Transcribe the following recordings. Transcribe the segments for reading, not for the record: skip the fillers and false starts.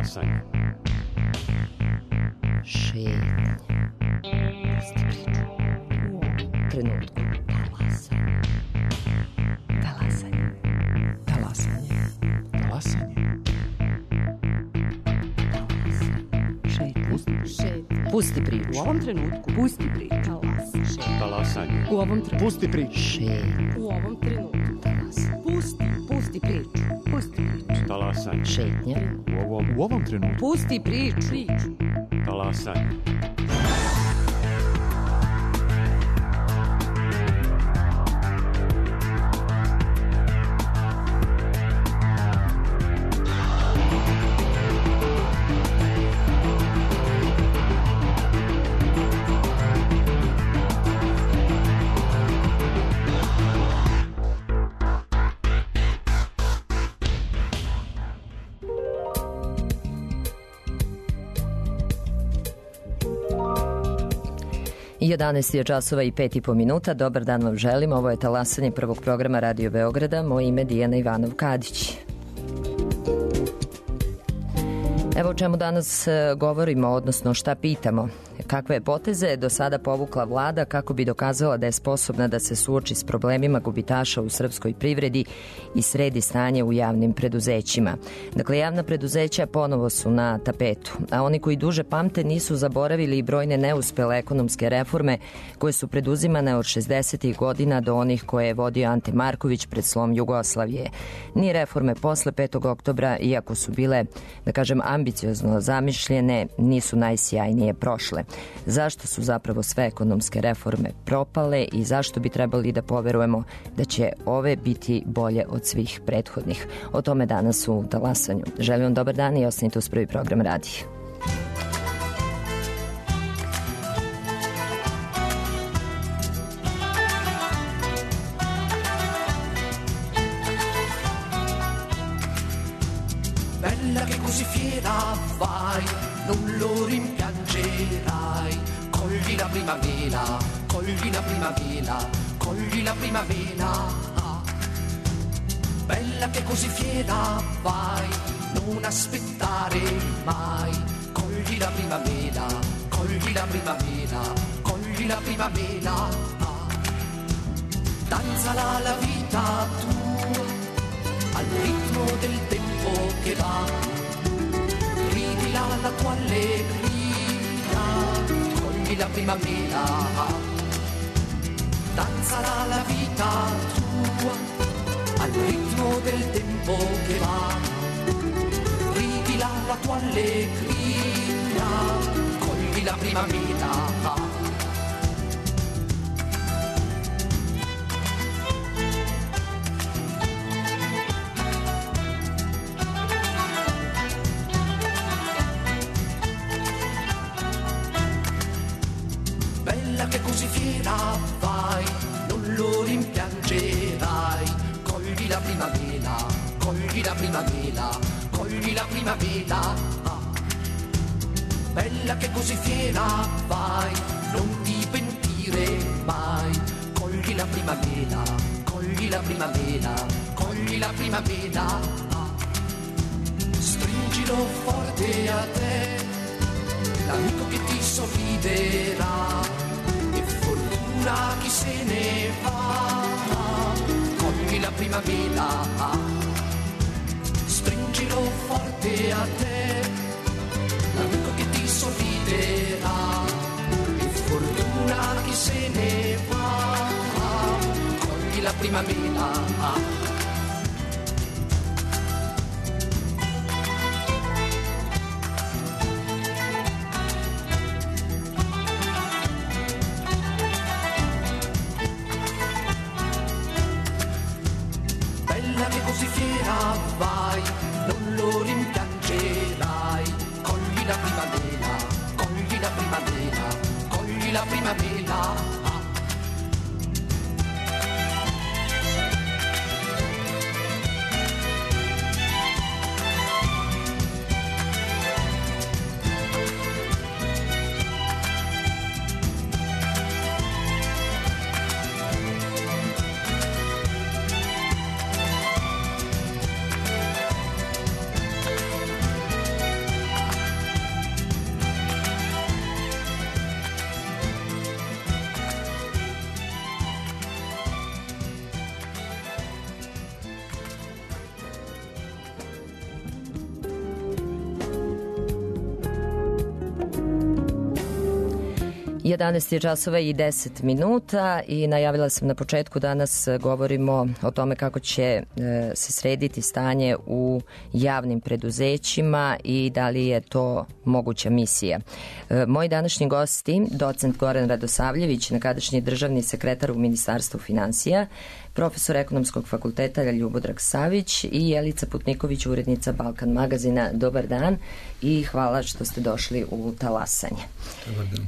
Talasanje. Šetnje. Pusti priču. U ovom trenutku. Talasanje. Talasanje. Talasanje. Talasanje. Šetnje. Pusti priču. U ovom trenutku. Pusti priču. Talasanje. U ovom trenutku. Pusti priču. Šetnje. U ovom trenutku. Pusti priču. Pusti priču. Talasanje. Šetnje. U ovom trenutku. Pusti priču. Talasanje. I 11 je časova i 5,5 minuta. Dobar dan vam želim. Ovo je Talasanje prvog programa Radio Beograda. Moje ime je Dijana Ivanov-Kadić. Evo o čemu danas govorimo, odnosno šta pitamo. Kakve je poteze do sada povukla vlada kako bi dokazala da je sposobna da se suoči s problemima gubitaša u srpskoj privredi i sredi stanje u javnim preduzećima. Dakle, javna preduzeća ponovo su na tapetu, a oni koji duže pamte nisu zaboravili i brojne neuspele ekonomske reforme koje su preduzimane od 60. godina do onih koje je vodio Ante Marković pred slom Jugoslavije. Ni reforme posle 5. oktobra, iako su bile, da kažem, ambiciozno zamišljene, nisu najsjajnije prošle. Zašto su zapravo sve ekonomske reforme propale i zašto bi trebali da poverujemo da će ove biti bolje od svih prethodnih? O tome danas u Talasanju. Želim vam dobar dan i ostanite uz prvi program radija. Bella che così fiera vai, non lo rimpiangerai. Cogli la primavera, cogli la primavera, cogli la primavera. Bella che così fiera vai, non aspettare mai. Cogli la primavera, cogli la primavera, cogli la primavera. Danzala la vita tua al ritmo del tempo che va, ridila la tua allegria, cogli la primavera. Danzala la vita tua al ritmo del tempo che va, ridila la tua allegria, cogli la primavera. Che così fiera vai, non lo rimpiangerai. Cogli la primavera, cogli la primavera, cogli la primavera. Bella che così fiera vai, non ti pentire mai. Cogli la primavera, cogli la primavera, cogli la primavera. Stringilo forte a te, l'amico che ti sorriderà. Chi se ne va, cogli la primavera, stringilo forte a te, l'amico che ti sorriderà, e fortuna chi se ne va, cogli la primavera. Così fiera vai, non lo rimpiangerai. Cogli la primavera, cogli la primavera, cogli la primavera. 11 časova i 10 minuta i najavila sam na početku, danas govorimo o tome kako će se srediti stanje u javnim preduzećima i da li je to moguća misija. Moji današnji gosti, docent Goran Radosavljević, nekadašnji državni sekretar u Ministarstvu finansija, profesor Ekonomskog fakulteta Ljubodrag Savić i Jelica Putniković, urednica Balkan magazina. Dobar dan i hvala što ste došli u Talasanje.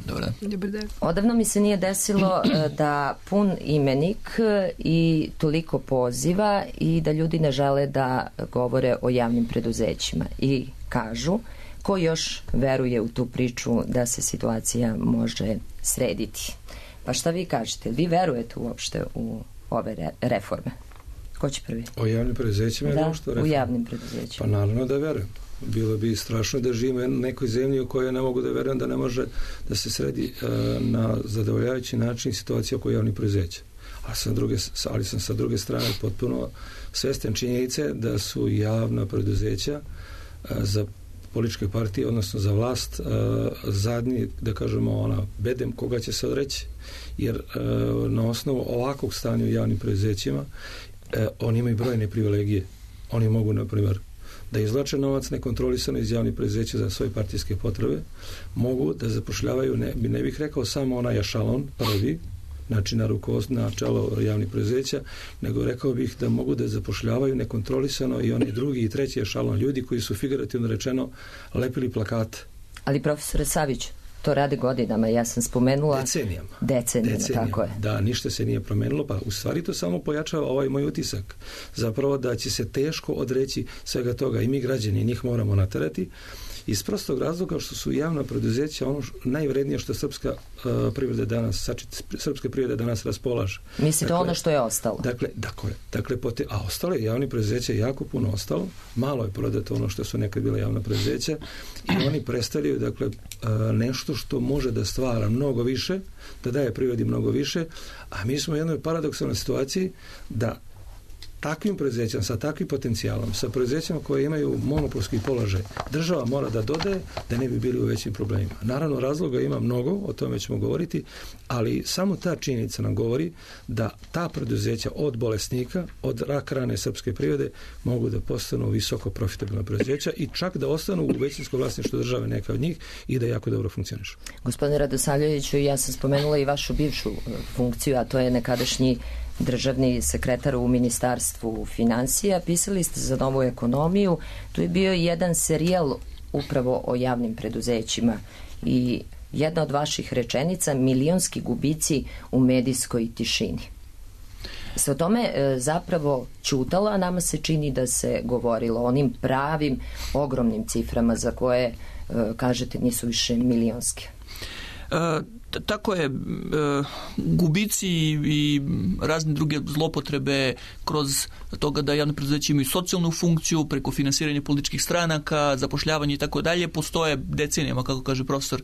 Dobar dan. Odavno mi se nije desilo da pun imenik i toliko poziva i da ljudi ne žele da govore o javnim preduzećima i kažu ko još veruje u tu priču da se situacija može srediti. Pa šta vi kažete? Vi verujete uopšte u ove reforme? Ko će prvi? O javnim preduzećima? Da, u javnim preduzećima. Pa naravno da verujem. Bilo bi strašno da živimo u nekoj zemlji u kojoj ne mogu da verujem da ne može da se sredi na zadovoljavajući način situacija oko javnih preduzeća. Ali sam sa druge strane potpuno svestan činjenice da su javna preduzeća za političke partije, odnosno za vlast, zadnji, da kažemo, bedem koga će se odreći. Jer na osnovu ovakvog stanja u javnim preduzećima oni imaju brojne privilegije. Oni mogu, na primjer, da izvlače novac nekontrolisano iz javnih preduzeća za svoje partijske potrebe, mogu da zapošljavaju, ne bih rekao samo onaj ešalon prvi, znači na čelo javnih preduzeća, nego rekao bih da mogu da zapošljavaju nekontrolisano i onaj drugi i treći ešalon ljudi koji su figurativno rečeno lepili plakate. Ali profesore Savić, to radi godinama, ja sam spomenula decenijama, tako je. Da, ništa se nije promenilo, pa u stvari to samo pojačava ovaj moj utisak. Zapravo da će se teško odreći svega toga i mi građani njih moramo naterati iz prostog razloga što su javna preduzeća ono najvrednije što srpska privreda danas raspolaže. Mislite ono što je ostalo? A ostalo je javnih preduzeća jako puno ostalo, malo je prodato ono što su nekad bila javna preduzeća i oni predstavljaju nešto što može da stvara mnogo više, da daje privredi mnogo više, a mi smo u jednoj paradoksalnoj situaciji da takvim preduzećama, sa takvim potencijalom, sa preduzećama koje imaju monopolski položaj, država mora da dodaje da ne bi bili u većim problemima. Naravno, razloga ima mnogo, o tome ćemo govoriti, ali samo ta činjenica nam govori da ta preduzeća od bolesnika, od rak rane srpske privrede mogu da postanu visoko profitabilna preduzeća i čak da ostanu u većinskom vlasništvu države neka od njih i da jako dobro funkcionišu. Gospodine Radosavljeviću, ja sam spomenula i vašu bivšu funkciju, a to je nekadašnji državni sekretar u Ministarstvu finansija. Pisali ste za Novu ekonomiju. Tu je bio jedan serijal upravo o javnim preduzećima i jedna od vaših rečenica, milionski gubici u medijskoj tišini. Se o tome zapravo ćutalo, a nama se čini da se govorilo o onim pravim, ogromnim ciframa za koje, kažete, nisu više milionske. Tako je, gubici i razne druge zlopotrebe kroz toga da javne preduzeća imaju socijalnu funkciju preko finansiranja političkih stranaka, zapošljavanje i tako dalje, postoje decenijama, kako kaže profesor.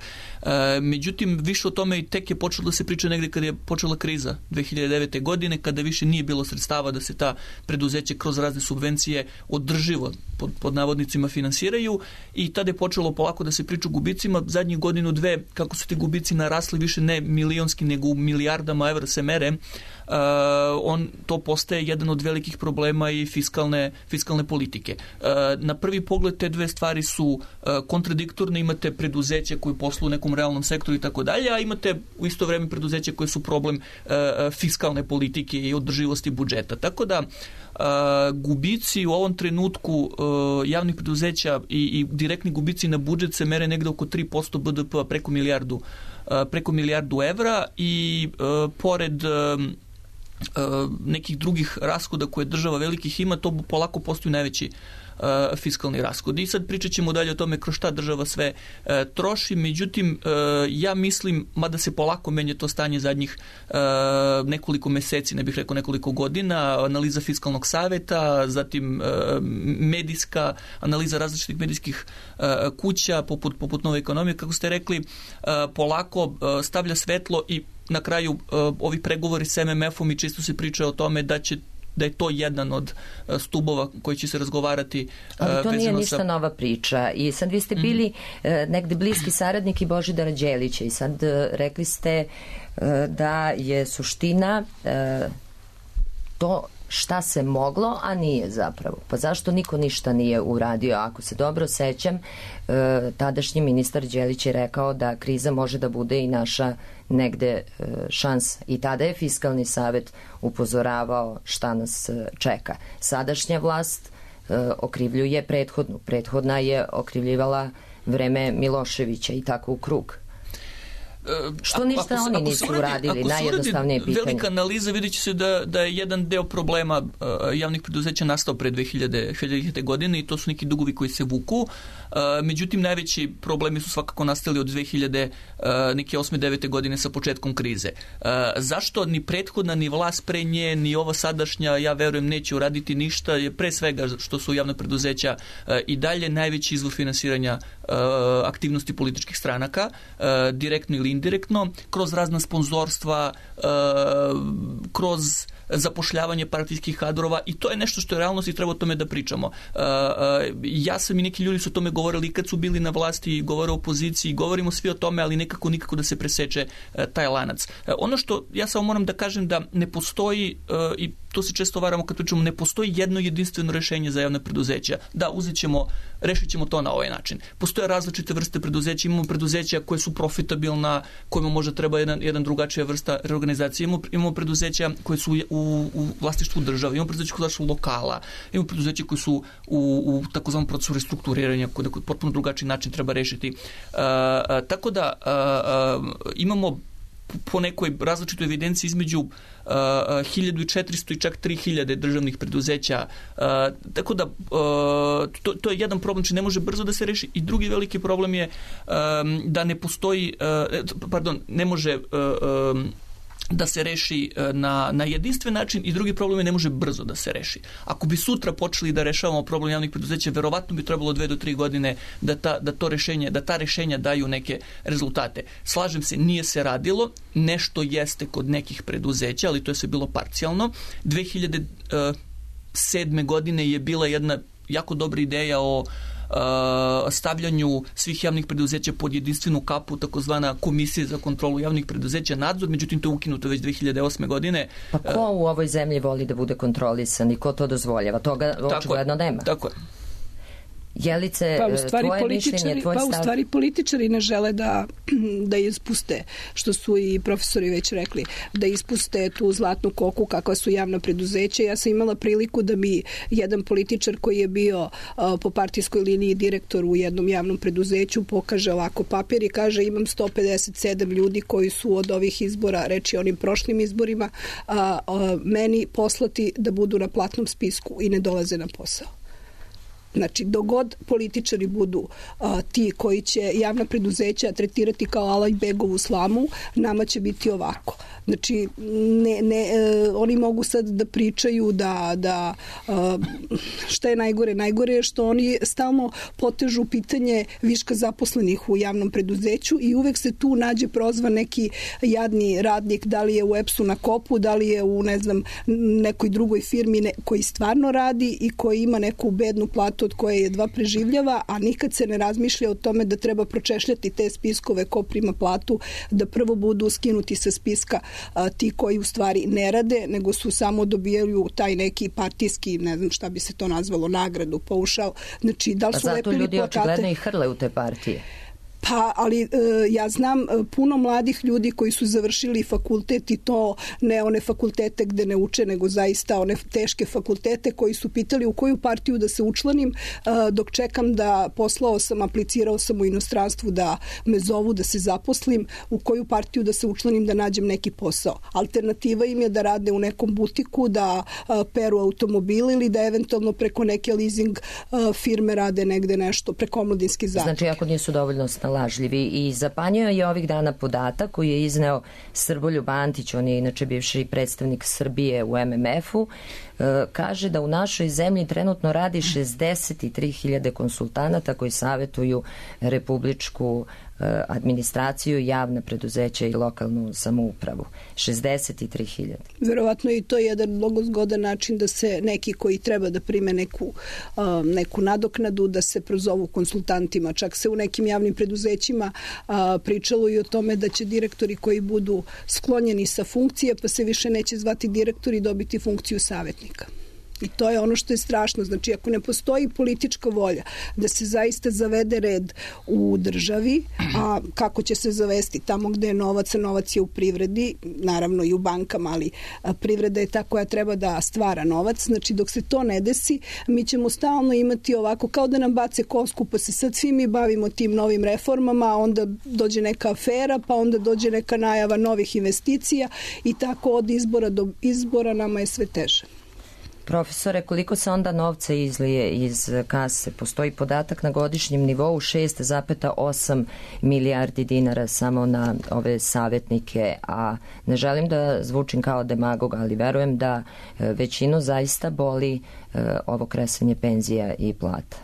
Međutim, više o tome i tek je počelo da se priča negde kada je počela kriza 2009. godine, kada više nije bilo sredstava da se ta preduzeća kroz razne subvencije održivo pod navodnicima finansiraju i tada je počelo polako da se priča o gubicima. Zadnjih godinu, dve, kako su ti gubici narasli više ne milionski, nego u milijardama evra se mere, to postaje jedan od velikih problema i fiskalne politike. Na prvi pogled te dve stvari su kontradiktorne, imate preduzeće koje posluju u nekom realnom sektoru i tako dalje, a imate u isto vreme preduzeće koje su problem fiskalne politike i održivosti budžeta. Tako da gubici u ovom trenutku javnih preduzeća i direktni gubici na budžet se mere negde oko 3% BDP-a, preko milijardu evra i pored nekih drugih rashoda koje država velikih ima, to polako postaju najveći fiskalni rashodi. I sad pričat ćemo dalje o tome kroz šta država sve troši, međutim ja mislim, mada se polako menja to stanje zadnjih nekoliko meseci, ne bih rekao nekoliko godina, analiza fiskalnog saveta, zatim medijska analiza različitih medijskih kuća poput Nove ekonomije, kako ste rekli, polako stavlja svetlo i na kraju ovi pregovori s MMF-om i čisto se priča o tome da će da je to jedan od stubova koji će se razgovarati. Ali to nije ništa nova priča. I sad vi ste bili negde bliski saradnik i Božidara Đelića i sad rekli ste da je suština to šta se moglo, a nije zapravo. Pa zašto niko ništa nije uradio? Ako se dobro sećam, tadašnji ministar Đelić je rekao da kriza može da bude i naša negde šansa. I tada je Fiskalni savet upozoravao šta nas čeka. Sadašnja vlast okrivljuje prethodnu. Prethodna je okrivljivala vreme Miloševića i tako u krug. Što ništa oni nisu uradili, najjednostavnije pitanje. Velika analiza, vidjet će se da je jedan deo problema javnih preduzeća nastao pre 2000. godine i to su neki dugovi koji se vuku. Međutim, najveći problemi su svakako nastali od 2008. 9. godine sa početkom krize. Zašto ni prethodna, ni vlast pre nje, ni ova sadašnja, ja verujem, neće uraditi ništa, je pre svega što su javna preduzeća i dalje najveći izvor finansiranja aktivnosti političkih stranaka, direktno ili indirektno, kroz razna sponzorstva, kroz zapošljavanje partijskih kadrova i to je nešto što je realnost i treba o tome da pričamo. Ja sam i neki ljudi su o tome govorili i kad su bili na vlasti i govore o opoziciji, govorimo svi o tome, ali nikako da se preseče taj lanac. Ono što ja samo moram da kažem da ne postoji i to se često varamo kad pričamo, ne postoji jedno jedinstveno rešenje za javne preduzeća. Da, rešit ćemo to na ovaj način. Postoje različite vrste preduzeća, imamo preduzeća koje su profitabilna, kojima možda treba jedan drugačija vrsta reorganizacije, imamo preduzeća koje su u vlasništvu države, imamo preduzeća koje su lokala, imamo preduzeća koje su u takozvanom procesu restrukturiranja, koji potpuno drugačiji način treba rešiti. Tako da imamo po nekoj različitoj evidenciji između 1400 i čak 3000 državnih preduzeća. Tako da to je jedan problem, či ne može brzo da se reši. I drugi veliki problem je da ne postoji, ne može da se reši na jedinstven način i drugi problem je ne može brzo da se reši. Ako bi sutra počeli da rešavamo problem javnih preduzeća, verovatno bi trebalo 2 do 3 godine da ta rešenja daju neke rezultate. Slažem se, nije se radilo, nešto jeste kod nekih preduzeća, ali to je sve bilo parcijalno. 2007. godine je bila jedna jako dobra ideja o stavljanju svih javnih preduzeća pod jedinstvenu kapu, takozvana komisija za kontrolu javnih preduzeća, nadzor, međutim to je ukinuto već 2008. godine. Pa ko u ovoj zemlji voli da bude kontrolisan i ko to dozvoljava? Toga očigledno nema. Tako je. Jelice, tvoje mišljenje, tvoj stav? U stvari političari ne žele da ispuste, što su i profesori već rekli, da ispuste tu zlatnu koku kakva su javna preduzeća. Ja sam imala priliku da mi jedan političar koji je bio po partijskoj liniji direktor u jednom javnom preduzeću pokaže ovako papir i kaže imam 157 ljudi koji su od ovih izbora, reči onim prošlim izborima, meni poslati da budu na platnom spisku i ne dolaze na posao. Znači, dogod političari budu ti koji će javna preduzeća tretirati kao Alajbegovu slamu, nama će biti ovako. Znači, oni mogu sad da pričaju da šta je najgore? Najgore je što oni stalno potežu pitanje viška zaposlenih u javnom preduzeću i uvek se tu nađe prozvan neki jadni radnik, da li je u EPS-u na kopu, da li je u, nekoj drugoj firmi koji stvarno radi i koji ima neku bednu platu od koje jedva preživljava, a nikad se ne razmišlja o tome da treba pročešljati te spiskove ko prima platu, da prvo budu skinuti sa spiska ti koji u stvari ne rade, nego su samo dobijaju taj neki partijski, ne znam šta bi se to nazvalo, nagradu, paušal. Znači, da li su lepili plakate? Zato ljudi očigledno i hrle u te partije. Pa, ali ja znam puno mladih ljudi koji su završili fakultet i to ne one fakultete gde ne uče, nego zaista one teške fakultete koji su pitali u koju partiju da se učlanim, dok čekam da aplicirao sam u inostranstvu da me zovu da se zaposlim, u koju partiju da se učlanim da nađem neki posao. Alternativa im je da rade u nekom butiku, da peru automobile ili da eventualno preko neke leasing firme rade negde nešto, preko omladinski zadruge. Znači, ako nisu dovoljno lažljivi. I zapanjio je ovih dana podatak koji je izneo Srboljub Antić, on je inače bivši predstavnik Srbije u MMF-u, kaže da u našoj zemlji trenutno radi 63.000 konsultanata koji savjetuju Republičku administraciju, javna preduzeća i lokalnu samoupravu. 63.000. Verovatno i to je jedan mnogo zgodan način da se neki koji treba da prime neku nadoknadu, da se prozovu konsultantima. Čak se u nekim javnim preduzećima pričalo i o tome da će direktori koji budu sklonjeni sa funkcije, pa se više neće zvati direktori, dobiti funkciju savjetnika. I to je ono što je strašno. Znači, ako ne postoji politička volja da se zaista zavede red u državi, a kako će se zavesti tamo gde je novac, a novac je u privredi, naravno i u bankama, ali privreda je ta koja treba da stvara novac. Znači, dok se to ne desi, mi ćemo stalno imati ovako, kao da nam bace kosku, pa se sad svi mi bavimo tim novim reformama, onda dođe neka afera, pa onda dođe neka najava novih investicija i tako od izbora do izbora nama je sve teže. Profesore, koliko se onda novca izlije iz kase? Postoji podatak na godišnjem nivou 6,8 milijardi dinara samo na ove savjetnike, a ne želim da zvučim kao demagog, ali verujem da većinu zaista boli ovo kresanje penzija i plata.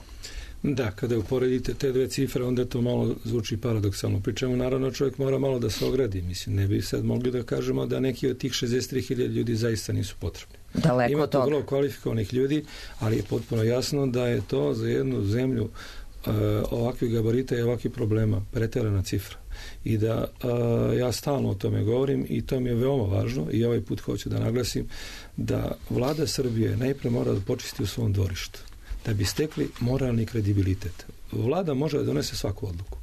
Da, kada uporedite te dve cifre, onda to malo zvuči paradoksalno. Pri čemu, naravno, čovjek mora malo da se ogradi. Mislim, ne bi sad mogli da kažemo da neki od tih 63.000 ljudi zaista nisu potrebni. Daleko Ima od toga. vrlo kvalifikovanih ljudi, ali je potpuno jasno da je to za jednu zemlju ovakvih gabarita i ovakvih problema preterana cifra. I da ja stalno o tome govorim i to mi je veoma važno i ovaj put hoću da naglasim da vlada Srbije najprije mora da počisti u svom dvorištu da bi stekli moralni kredibilitet. Vlada može da donese svaku odluku.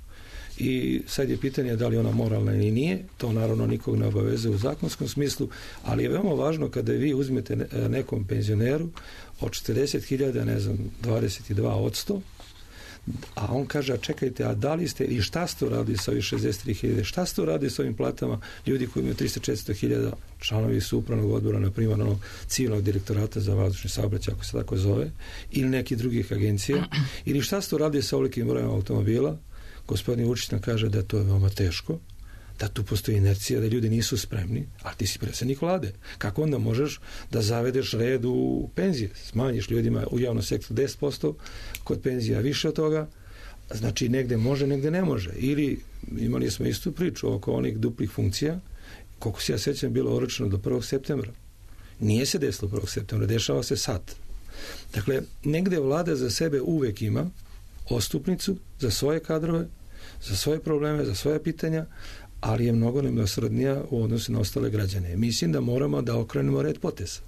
I sad je pitanje da li ona moralna ili nije, to naravno nikog ne obaveze u zakonskom smislu, ali je veoma važno kada vi uzmete nekom penzioneru od 40.000, ne znam, 22%, a on kaže, a čekajte, a da li ste i šta ste uradili sa ovih 63.000, šta ste uradili sa ovim platama ljudi koji imaju 300-400.000, članovi su upravnog odbora, na primjer onog civilnog direktorata za vazdušni saobraćaj, ako se tako zove, ili nekih drugih agencija, ili šta ste uradili sa ovolikim brojem automobila. Gospodin Vučić nam kaže da to je veoma teško, da tu postoji inercija, da ljudi nisu spremni, a ti si predsjednik vlade. Kako onda možeš da zavedeš red u penzije? Smanjiš ljudima u javnom sektoru 10%, kod penzija više od toga, znači negde može, negde ne može. Ili imali smo istu priču oko onih duplih funkcija, koliko se ja sećam bilo oročeno do 1. septembra. Nije se desilo 1. septembra, dešava se sad. Dakle, negde vlada za sebe uvek ima ostupnicu za svoje kadrove, za svoje probleme, za svoje pitanja, ali je mnogo nemilosrdnija u odnosu na ostale građane. Mislim da moramo da okrenemo red poteza.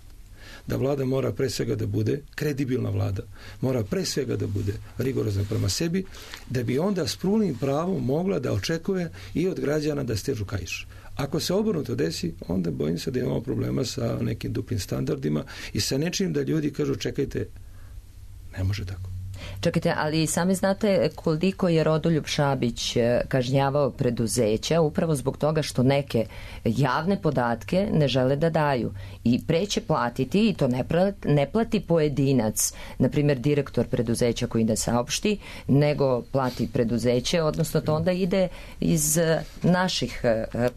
Da vlada mora pre svega da bude kredibilna vlada, mora pre svega da bude rigorozna prema sebi, da bi onda s punim pravom mogla da očekuje i od građana da stežu kaiš. Ako se obrnuto desi, onda bojim se da imamo problema sa nekim duplim standardima i sa nečim da ljudi kažu čekajte, ne može tako. Čekajte, ali sami znate koliko je Rodoljub Šabić kažnjavao preduzeća upravo zbog toga što neke javne podatke ne žele da daju i preće platiti i to ne plati pojedinac, na primjer direktor preduzeća koji ne saopšti, nego plati preduzeće, odnosno to onda ide iz naših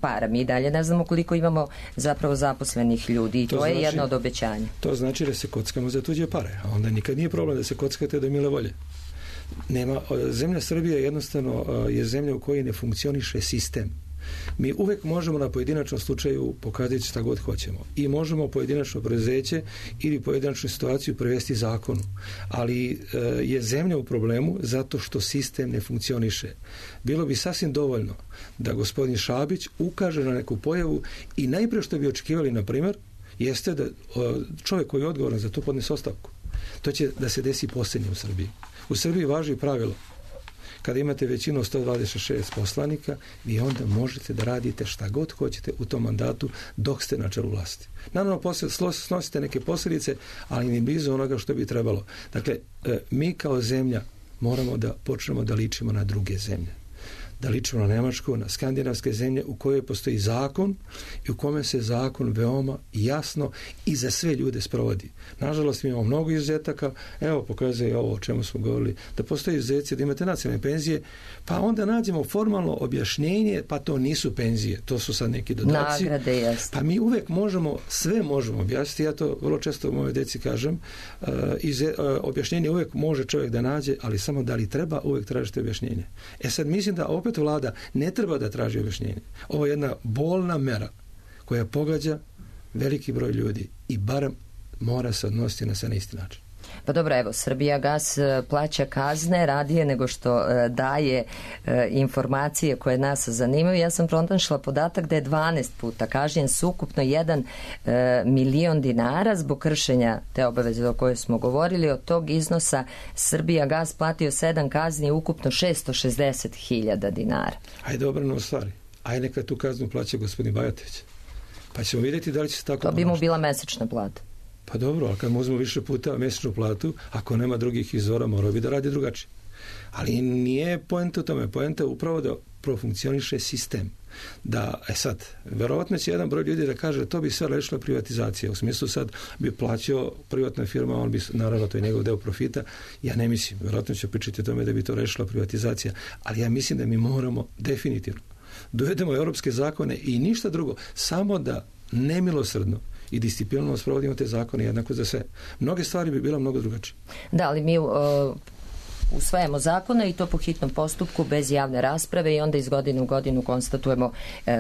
para. Mi dalje ne znamo koliko imamo zapravo zaposlenih ljudi i to je jedno od obećanja. To znači da se kockamo za tuđe pare, a onda nikad nije problem da se kockate do mile volje. Zemlja Srbije jednostavno je zemlja u kojoj ne funkcioniše sistem. Mi uvek možemo na pojedinačnom slučaju pokazati šta god hoćemo i možemo pojedinačno preduzeće ili pojedinačnu situaciju prevesti zakonu, ali je zemlja u problemu zato što sistem ne funkcioniše. Bilo bi sasvim dovoljno da gospodin Šabić ukaže na neku pojavu i najprije što bi očekivali, na primjer, jeste da čovjek koji je odgovoran za to podnese ostavku. To će da se desi posljednje u Srbiji. U Srbiji važi pravilo. Kada imate većinu 126 poslanika, vi onda možete da radite šta god hoćete u tom mandatu dok ste na čelu vlasti. Naravno, snosite neke posljedice, ali ni blizu onoga što bi trebalo. Dakle, mi kao zemlja moramo da počnemo da ličimo na druge zemlje. Da ličimo na Nemačku, na skandinavske zemlje u kojoj postoji zakon i u kome se zakon veoma jasno i za sve ljude sprovodi. Nažalost, mi imamo mnogo izuzetaka. Evo, pokazuje ovo o čemu smo govorili, da postoji izuzeci da imate nacionalne penzije, pa onda nađemo formalno objašnjenje, pa to nisu penzije, to su sad neki dodaci. Nagrade, jasno. Pa mi uvek možemo, sve možemo objasniti, ja to vrlo često moje deci kažem, objašnjenje uvek može čovjek da nađe, ali samo da li treba, uvek tražite objašnjenje. Sad mislim da opet opet vlada ne treba da traži objašnjenje. Ovo je jedna bolna mera koja pogađa veliki broj ljudi i barem mora se odnositi na sve na isti način. Pa dobro, evo, Srbijagas plaća kazne radije nego što daje informacije koje nas zanimaju. Ja sam pronašla podatak da je 12 puta kažnjen s ukupno 1 milion dinara zbog kršenja te obaveze o kojoj smo govorili. Od tog iznosa Srbijagas platio 7 kazni, ukupno 660.000 dinara. Ajde obrano stvari. Ajde neka tu kaznu plaća gospodin Bajatović. Pa ćemo vidjeti da li će se tako to bi mu bila mesečna plata. Pa dobro, ali kad mu uzmu više puta mesečnu platu, ako nema drugih izvora, morao bi da radi drugačije. Ali nije poenta u tome. Poenta je upravo da profunkcioniše sistem. Da, sad, verovatno će jedan broj ljudi da kaže to bi sve rešila privatizacija. U smislu sad bi plaćao privatna firma, on bi, naravno, to je njegov deo profita. Ja ne mislim, verovatno će pričati o tome da bi to rešila privatizacija, ali ja mislim da mi moramo definitivno dovedemo europske zakone i ništa drugo, samo da nemilosrdno i disciplinarno sprovodimo te zakone jednako za sve. Mnoge stvari bi bila mnogo drugačije. Da, ali mi usvajamo zakone i to po hitnom postupku bez javne rasprave i onda iz godine u godinu konstatujemo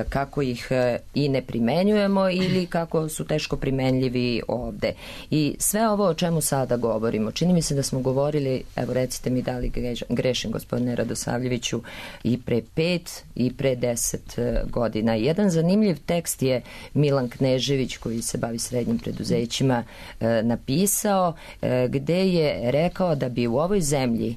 kako ih i ne primenjujemo ili kako su teško primenljivi ovde. I sve ovo o čemu sada govorimo, čini mi se da smo govorili, evo recite mi da li grešim, gospodine Radosavljeviću, i pre 5 i pre 10 godina. Jedan zanimljiv tekst je Milan Knežević, koji se bavi srednjim preduzećima, napisao, gde je rekao da bi u ovoj zemlji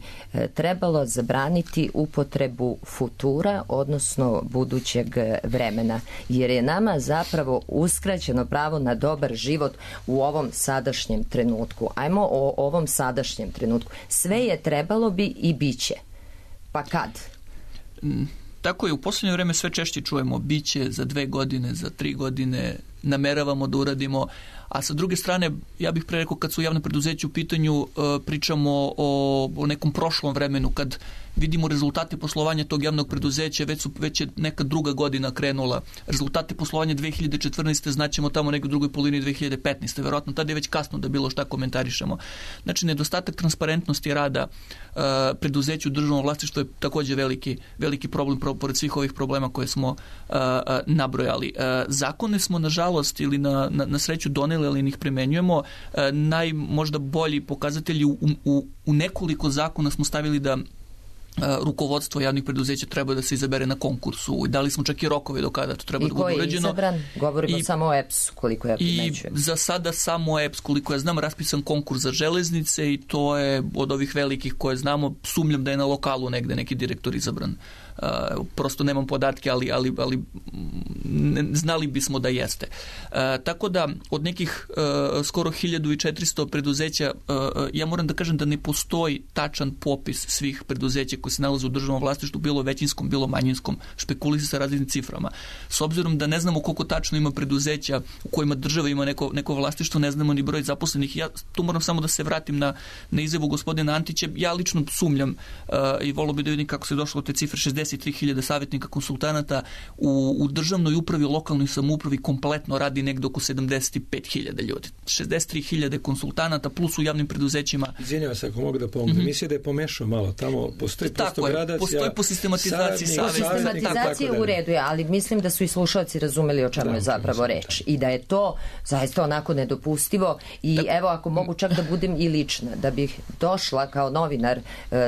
trebalo zabraniti upotrebu futura, odnosno budućeg vremena, jer je nama zapravo uskraćeno pravo na dobar život u ovom sadašnjem trenutku. Ajmo o ovom sadašnjem trenutku. Sve je trebalo bi i biće. Pa kad? Tako je, u posljednje vreme sve češće čujemo biće za 2 godine, za 3 godine, nameravamo da uradimo, a sa druge strane, ja bih pre rekao, kad su javne preduzeće u pitanju, pričamo o nekom prošlom vremenu, kad vidimo rezultate poslovanja tog javnog preduzeća, već je neka druga godina krenula. Rezultate poslovanja 2014. znaćemo tamo nekoj drugoj polovini 2015. Verovatno tada je već kasno da bilo šta komentarišemo. Znači, nedostatak transparentnosti rada preduzeća u državnom vlasništvu je također veliki problem, pored svih ovih problema koje smo nabrojali. Zakone smo, nažalost, ili na sreću doneli, ali ih primenjujemo. Možda bolji pokazatelji u nekoliko zakona smo stavili da rukovodstvo javnih preduzeća treba da se izabere na konkursu. Dali smo čak i rokove do kada to treba da bude uređeno. I ko je izabran? Govorimo samo o EPS, koliko ja primećujem. I za sada samo EPS, koliko ja znam, raspisan konkurs za železnice i to je od ovih velikih koje znamo, sumnjam da je na lokalu negde neki direktor izabran. Prosto nemam podatke, ali znali bismo da jeste. Tako da od nekih skoro 1400 preduzeća, ja moram da kažem da ne postoji tačan popis svih preduzeća koji se nalaze u državnom vlasništvu, bilo većinskom, bilo manjinskom, špekulisi sa različitim ciframa. S obzirom da ne znamo koliko tačno ima preduzeća u kojima država ima neko vlasništvo, ne znamo ni broj zaposlenih. Ja tu moram samo da se vratim na izjavu gospodina Antića. Ja lično sumnjam i volio bi da vidim kako se došlo od te cifre 63.000 savjetnika konsultanata u državnoj upravi, lokalnoj samoupravi kompletno radi negdje oko 75.000 ljudi. 63.000 konsultanata plus u javnim preduzećima. Izvinjavam se ako mogu da pomogu. Mislim da je pomešao malo. Tamo postoji gradacija. Postoji po sistematizaciji savjetnika. Po sistematizaciji u redu je, ali mislim da su i slušalci razumeli o čemu je zapravo reč. I da je to zaista onako nedopustivo. I evo, ako mogu čak da budem i lična, da bih došla kao novinar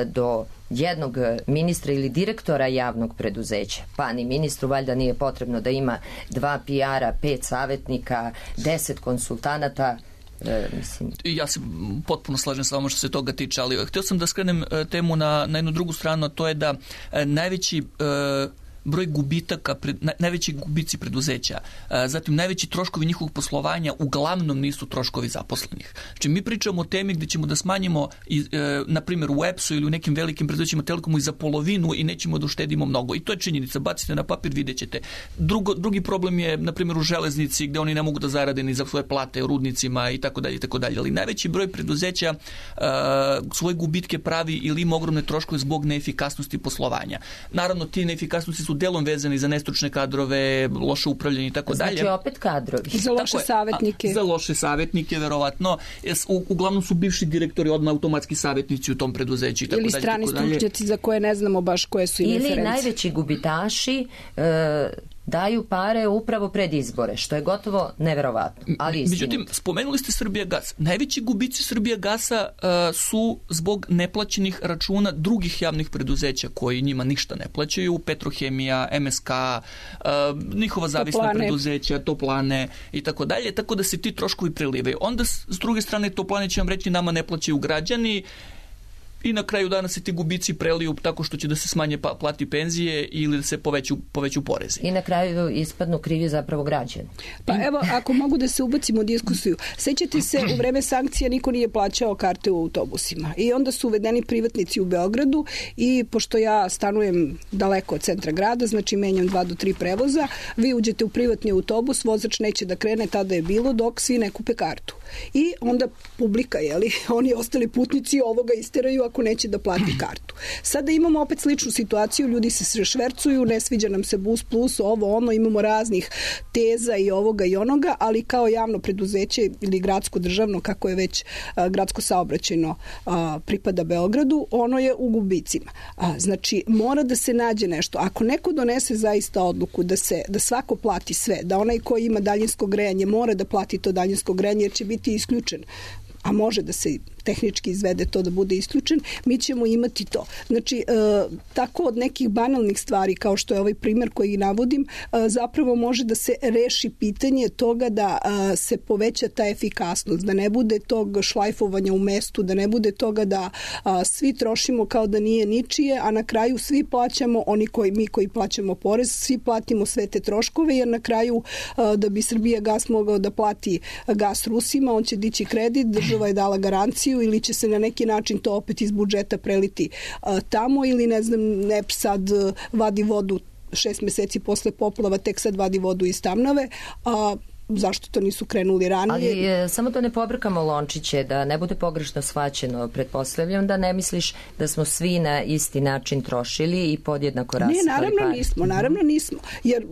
do jednog ministra ili direktora javnog preduzeća. Pa ni ministru valjda nije potrebno da ima 2 PR-a, 5 savjetnika, 10 konsultanata. Ja se potpuno slažem sa vama što se toga tiče, ali htio sam da skrenem temu na jednu drugu stranu, a to je da najveći broj gubitaka, najveći gubici preduzeća, zatim najveći troškovi njihovog poslovanja uglavnom nisu troškovi zaposlenih. Znači, mi pričamo o temi gdje ćemo da smanjimo, na primjer u EPS-u ili u nekim velikim preduzećima Telekomu i za polovinu i nećemo da uštedimo mnogo. I to je činjenica. Bacite na papir, vidjet ćete. Drugi problem je, na primjer, u železnici gdje oni ne mogu da zarade ni za svoje plate u rudnicima i tako dalje, i tako dalje. Ali najveći broj preduzeća svoje gubitke pravi ili ima ogromne troškove zbog neefikasnosti poslovanja. Naravno, ti neefikasnosti su delom vezani za nestručne kadrove, loše upravljanje i tako dalje. Znači opet kadrovi. Za loše savjetnike. Za loše savjetnike, verovatno. Uglavnom su bivši direktori odmah automatski savjetnici u tom preduzeću i tako dalje. Ili strani stručnjaci za koje ne znamo baš koje su im reference. Ili najveći gubitaši daju pare upravo pred izbore, što je gotovo neverovatno, ali istinito. Međutim, spomenuli ste Srbijagas. Najveći gubici Srbijagasa su zbog neplaćenih računa drugih javnih preduzeća koji njima ništa ne plaćaju, Petrohemija, MSK, njihova zavisna preduzeća, Toplane i tako dalje, tako da se ti troškovi prelivaju. Onda s druge strane Toplane će vam reći nama ne plaćaju građani, i na kraju dana se ti gubici preliju tako što će da se smanje plati penzije ili da se poveću porezi. I na kraju ispadnu krivi zapravo građani. Pa evo, ako mogu da se ubacimo u diskusiju. Sećate se, u vreme sankcija niko nije plaćao karte u autobusima. I onda su uvedeni privatnici u Beogradu i pošto ja stanujem daleko od centra grada, znači menjam 2 do 3 prevoza, vi uđete u privatni autobus, vozač neće da krene, tada je bilo, dok svi ne kupe kartu. I onda publika, oni ostali putnici ovoga isteraju ako neće da plati kartu. Sada imamo opet sličnu situaciju, ljudi se švercuju, ne sviđa nam se Bus Plus, imamo raznih teza i ovoga i onoga, ali kao javno preduzeće ili gradsko državno, kako je već gradsko saobraćajno pripada Beogradu, ono je u gubicima. Znači, mora da se nađe nešto. Ako neko donese zaista odluku da svako plati sve, da onaj koji ima daljinsko grejanje mora da plati to daljinsko grejanje jer će biti isključen, a može da se tehnički izvede to da bude isključen, mi ćemo imati to. Znači, tako od nekih banalnih stvari, kao što je ovaj primjer koji navodim, zapravo može da se reši pitanje toga da se poveća ta efikasnost, da ne bude tog šlajfovanja u mestu, da ne bude toga da svi trošimo kao da nije ničije, a na kraju svi plaćamo, mi koji plaćamo porez, svi platimo sve te troškove, jer na kraju da bi Srbijagas mogao da plati gas Rusima, on će dići kredit, država je dala garanciju, ili će se na neki način to opet iz budžeta preliti tamo, ili ne znam, NEP sad vadi vodu 6 meseci posle poplava, tek sad vadi vodu iz Tamnave, zašto to nisu krenuli ranije? Ali samo da ne pobrkamo lončiće, da ne bude pogrešno shvaćeno, pretpostavljam da ne misliš da smo svi na isti način trošili i podjednako rasipali pare. Naravno nismo, jer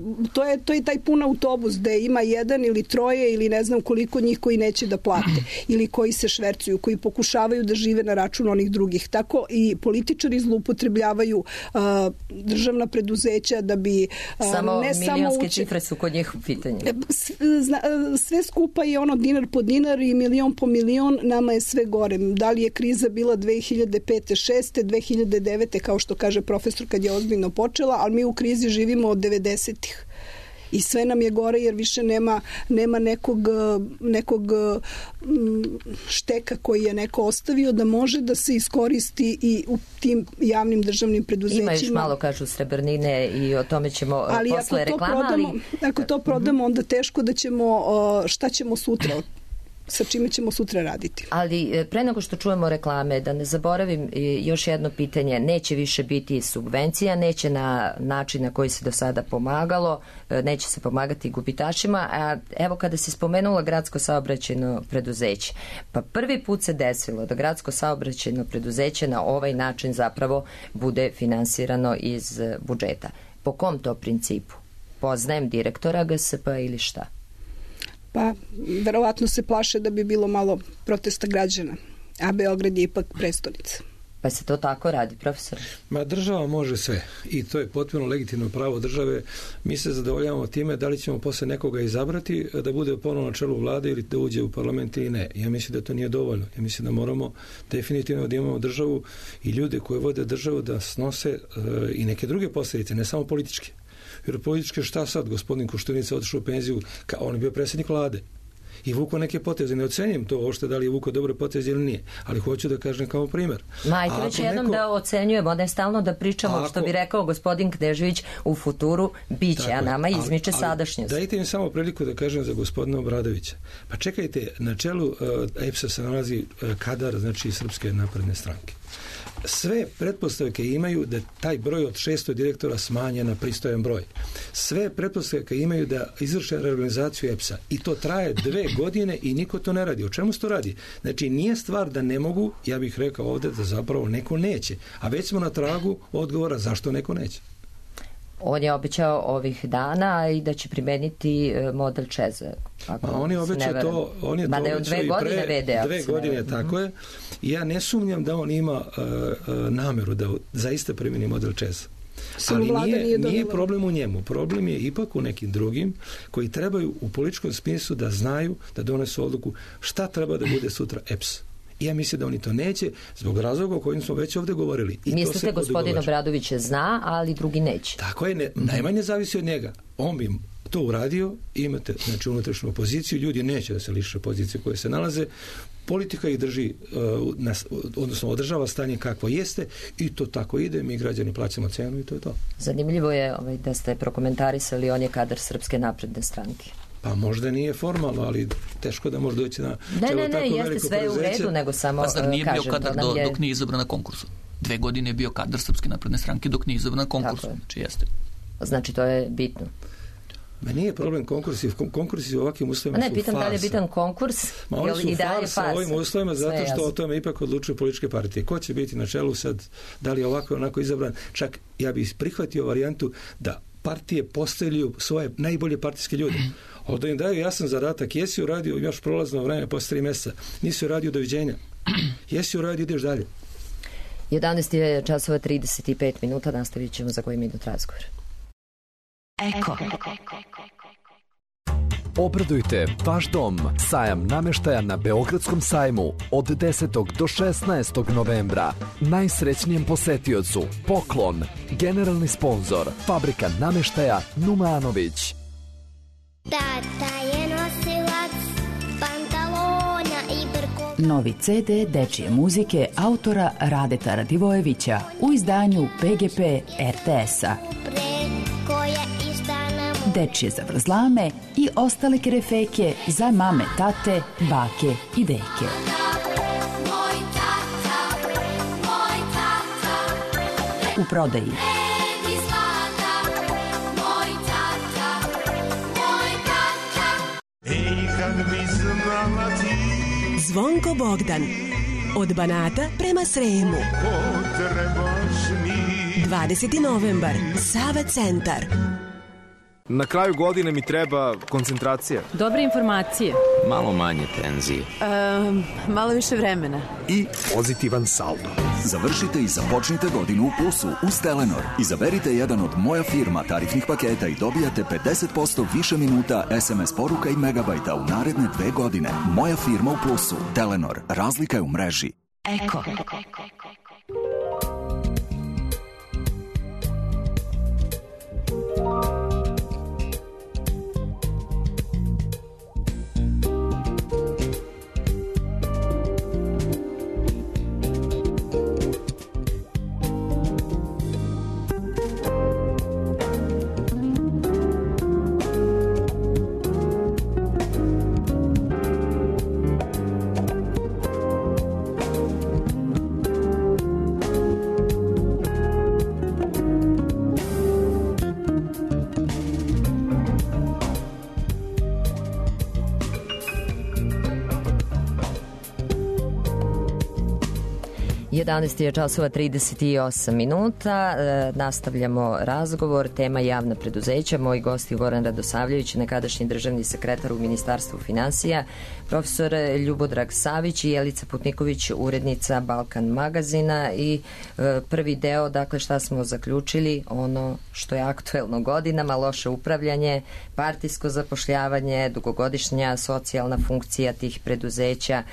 to je taj pun autobus gde ima 1 ili 3 ili ne znam koliko njih koji neće da plate ili koji se švercuju, koji pokušavaju da žive na račun onih drugih. Tako i političari zloupotrebljavaju državna preduzeća da bi samo milionske cifre su kod njih u pitanju. Sve skupa je dinar po dinar i milion po milion, nama je sve gore. Da li je kriza bila 2005. 6. 2009. kao što kaže profesor kad je ozbiljno počela, ali mi u krizi živimo od 90-ih. I sve nam je gore jer više nema nekog šteka koji je neko ostavio da može da se iskoristi i u tim javnim državnim preduzećima. Ima još malo, kažu, srebrnine i o tome ćemo posle reklama. Ako to prodamo, onda teško da ćemo, šta ćemo sutra, sa čime ćemo sutra raditi. Ali pre nego što čujemo reklame, da ne zaboravim još jedno pitanje, neće više biti subvencija, neće na način na koji se do sada pomagalo, neće se pomagati gubitašima, a evo kada si spomenula gradsko saobraćajno preduzeće, pa prvi put se desilo da gradsko saobraćajno preduzeće na ovaj način zapravo bude finansirano iz budžeta. Po kom to principu? Poznajem direktora GSP ili šta? Pa, verovatno se plaše da bi bilo malo protesta građana, a Beograd je ipak prestonica. Pa se to tako radi, profesor? Država može sve i to je potpuno legitimno pravo države. Mi se zadovoljavamo time da li ćemo posle nekoga izabrati da bude ponovno na čelu vlade ili da uđe u parlament ili ne. Ja mislim da to nije dovoljno. Ja mislim da moramo definitivno da imamo državu i ljude koji vode državu da snose i neke druge posljedice, ne samo političke. Jer političke šta sad? Gospodin Koštunica otišao u penziju, on je bio predsjednik vlade i vukao neke poteze. Ne ocenjujem to uopšte da li je vukao dobre poteze ili nije, ali hoću da kažem kao primjer. Majte već jednom da ocenjujemo, ne stalno da pričamo, što bi rekao gospodin Knežević, u futuru biće, a nama izmiče sadašnjost. Dajte mi samo priliku da kažem za gospodina Obradovića. Pa čekajte, na čelu EPS-a se nalazi kadar, znači Srpske napredne stranke. Sve pretpostavke imaju da taj broj od 600 direktora smanje na pristojan broj. Sve pretpostavke imaju da izvrše reorganizaciju EPS-a i to traje 2 godine i niko to ne radi. O čemu se to radi? Znači, nije stvar da ne mogu, ja bih rekao ovdje da zapravo neko neće. A već smo na tragu odgovora zašto neko neće. On je obećao ovih dana i da će primeniti model Čeza. On je obećao to, on je to obećao i pre 2 godine, tako je. I ja ne sumnjam da on ima nameru da zaista primeni model Čeza. Ali nije problem u njemu. Problem je ipak u nekim drugim koji trebaju u političkom smislu da znaju, da donesu odluku šta treba da bude sutra EPS. I ja mislim da oni to neće zbog razloga o kojim smo već ovdje govorili. I mislite gospodin Obradović zna, ali drugi neće. Tako je, najmanje zavisi od njega. On bi to uradio, imate znači unutrašnju opoziciju, ljudi neće da se liše pozicije koje se nalaze, politika ih drži, odnosno održava stanje kakvo jeste i to tako ide, mi građani plaćamo cenu i to je to. Zanimljivo je da ste prokomentarisali, on je kadar Srpske napredne stranke. Pa možda nije formalno, ali teško da može doći na čelo tako veliko preduzeće. Ne, jeste sve u redu, nego samo kažem. Pa zar nije bio kadar dok nije izabran na konkursu? 2 godine je bio kadar Srpske napredne stranke dok nije izabran na konkursu. Znači jeste. Znači to je bitno. Ma nije problem konkursi u ovakvim uslovima su farsa. Ne, pitam da li je bitan konkurs ili da je farsa u ovim uslovima zato što o tome ipak odlučuju političke partije. Ko će biti na čelu sad, da li je ovako onako izabran? Čak ja bih prihvatio varijantu da partije postavljaju svoje najbolje partijske ljude. Ovdje im daju jasan zadatak, jesi uradio još prolazno vreme posle 3 mjeseca, nisi uradio doviđenja, jesi uradio, ideš dalje. 11:35, nastavit ćemo za koji minut razgovor. Eko. Obradujte vaš dom. Sajam namještaja na Beogradskom sajmu od 10. do 16. novembra. Najsrećnijem posetiocu poklon. Generalni sponzor Fabrika namještaja Numanović. Tata je nosilac pantalona i brko. Novi CD dečije muzike autora Radeta Radivojevića u izdanju PGP RTS-a. Dečije zavrzlame i ostale kerefeke za mame, tate, bake i deke. U prodaji Zvonko Bogdan od Banata prema Sremu. 20. novembar, Sava centar. Na kraju godine mi treba koncentracija. Dobre informacije. Malo manje tenzije. Malo više vremena. I pozitivan saldo. Završite i započnite godinu u plusu uz Telenor. Izaberite jedan od Moja firma tarifnih paketa i dobijate 50% više minuta, SMS poruka i megabajta u naredne 2 godine. Moja firma u plusu. Telenor. Razlika je u mreži. Eko. Je 11:38. Nastavljamo razgovor. Tema javna preduzeća. Moji gosti Goran Radosavljević, nekadašnji državni sekretar u Ministarstvu finansija, profesor Ljubodrag Savić i Jelica Putniković, urednica Balkan magazina. I prvi deo, dakle, šta smo zaključili, ono što je aktuelno godinama, loše upravljanje, partijsko zapošljavanje, dugogodišnja socijalna funkcija tih preduzeća,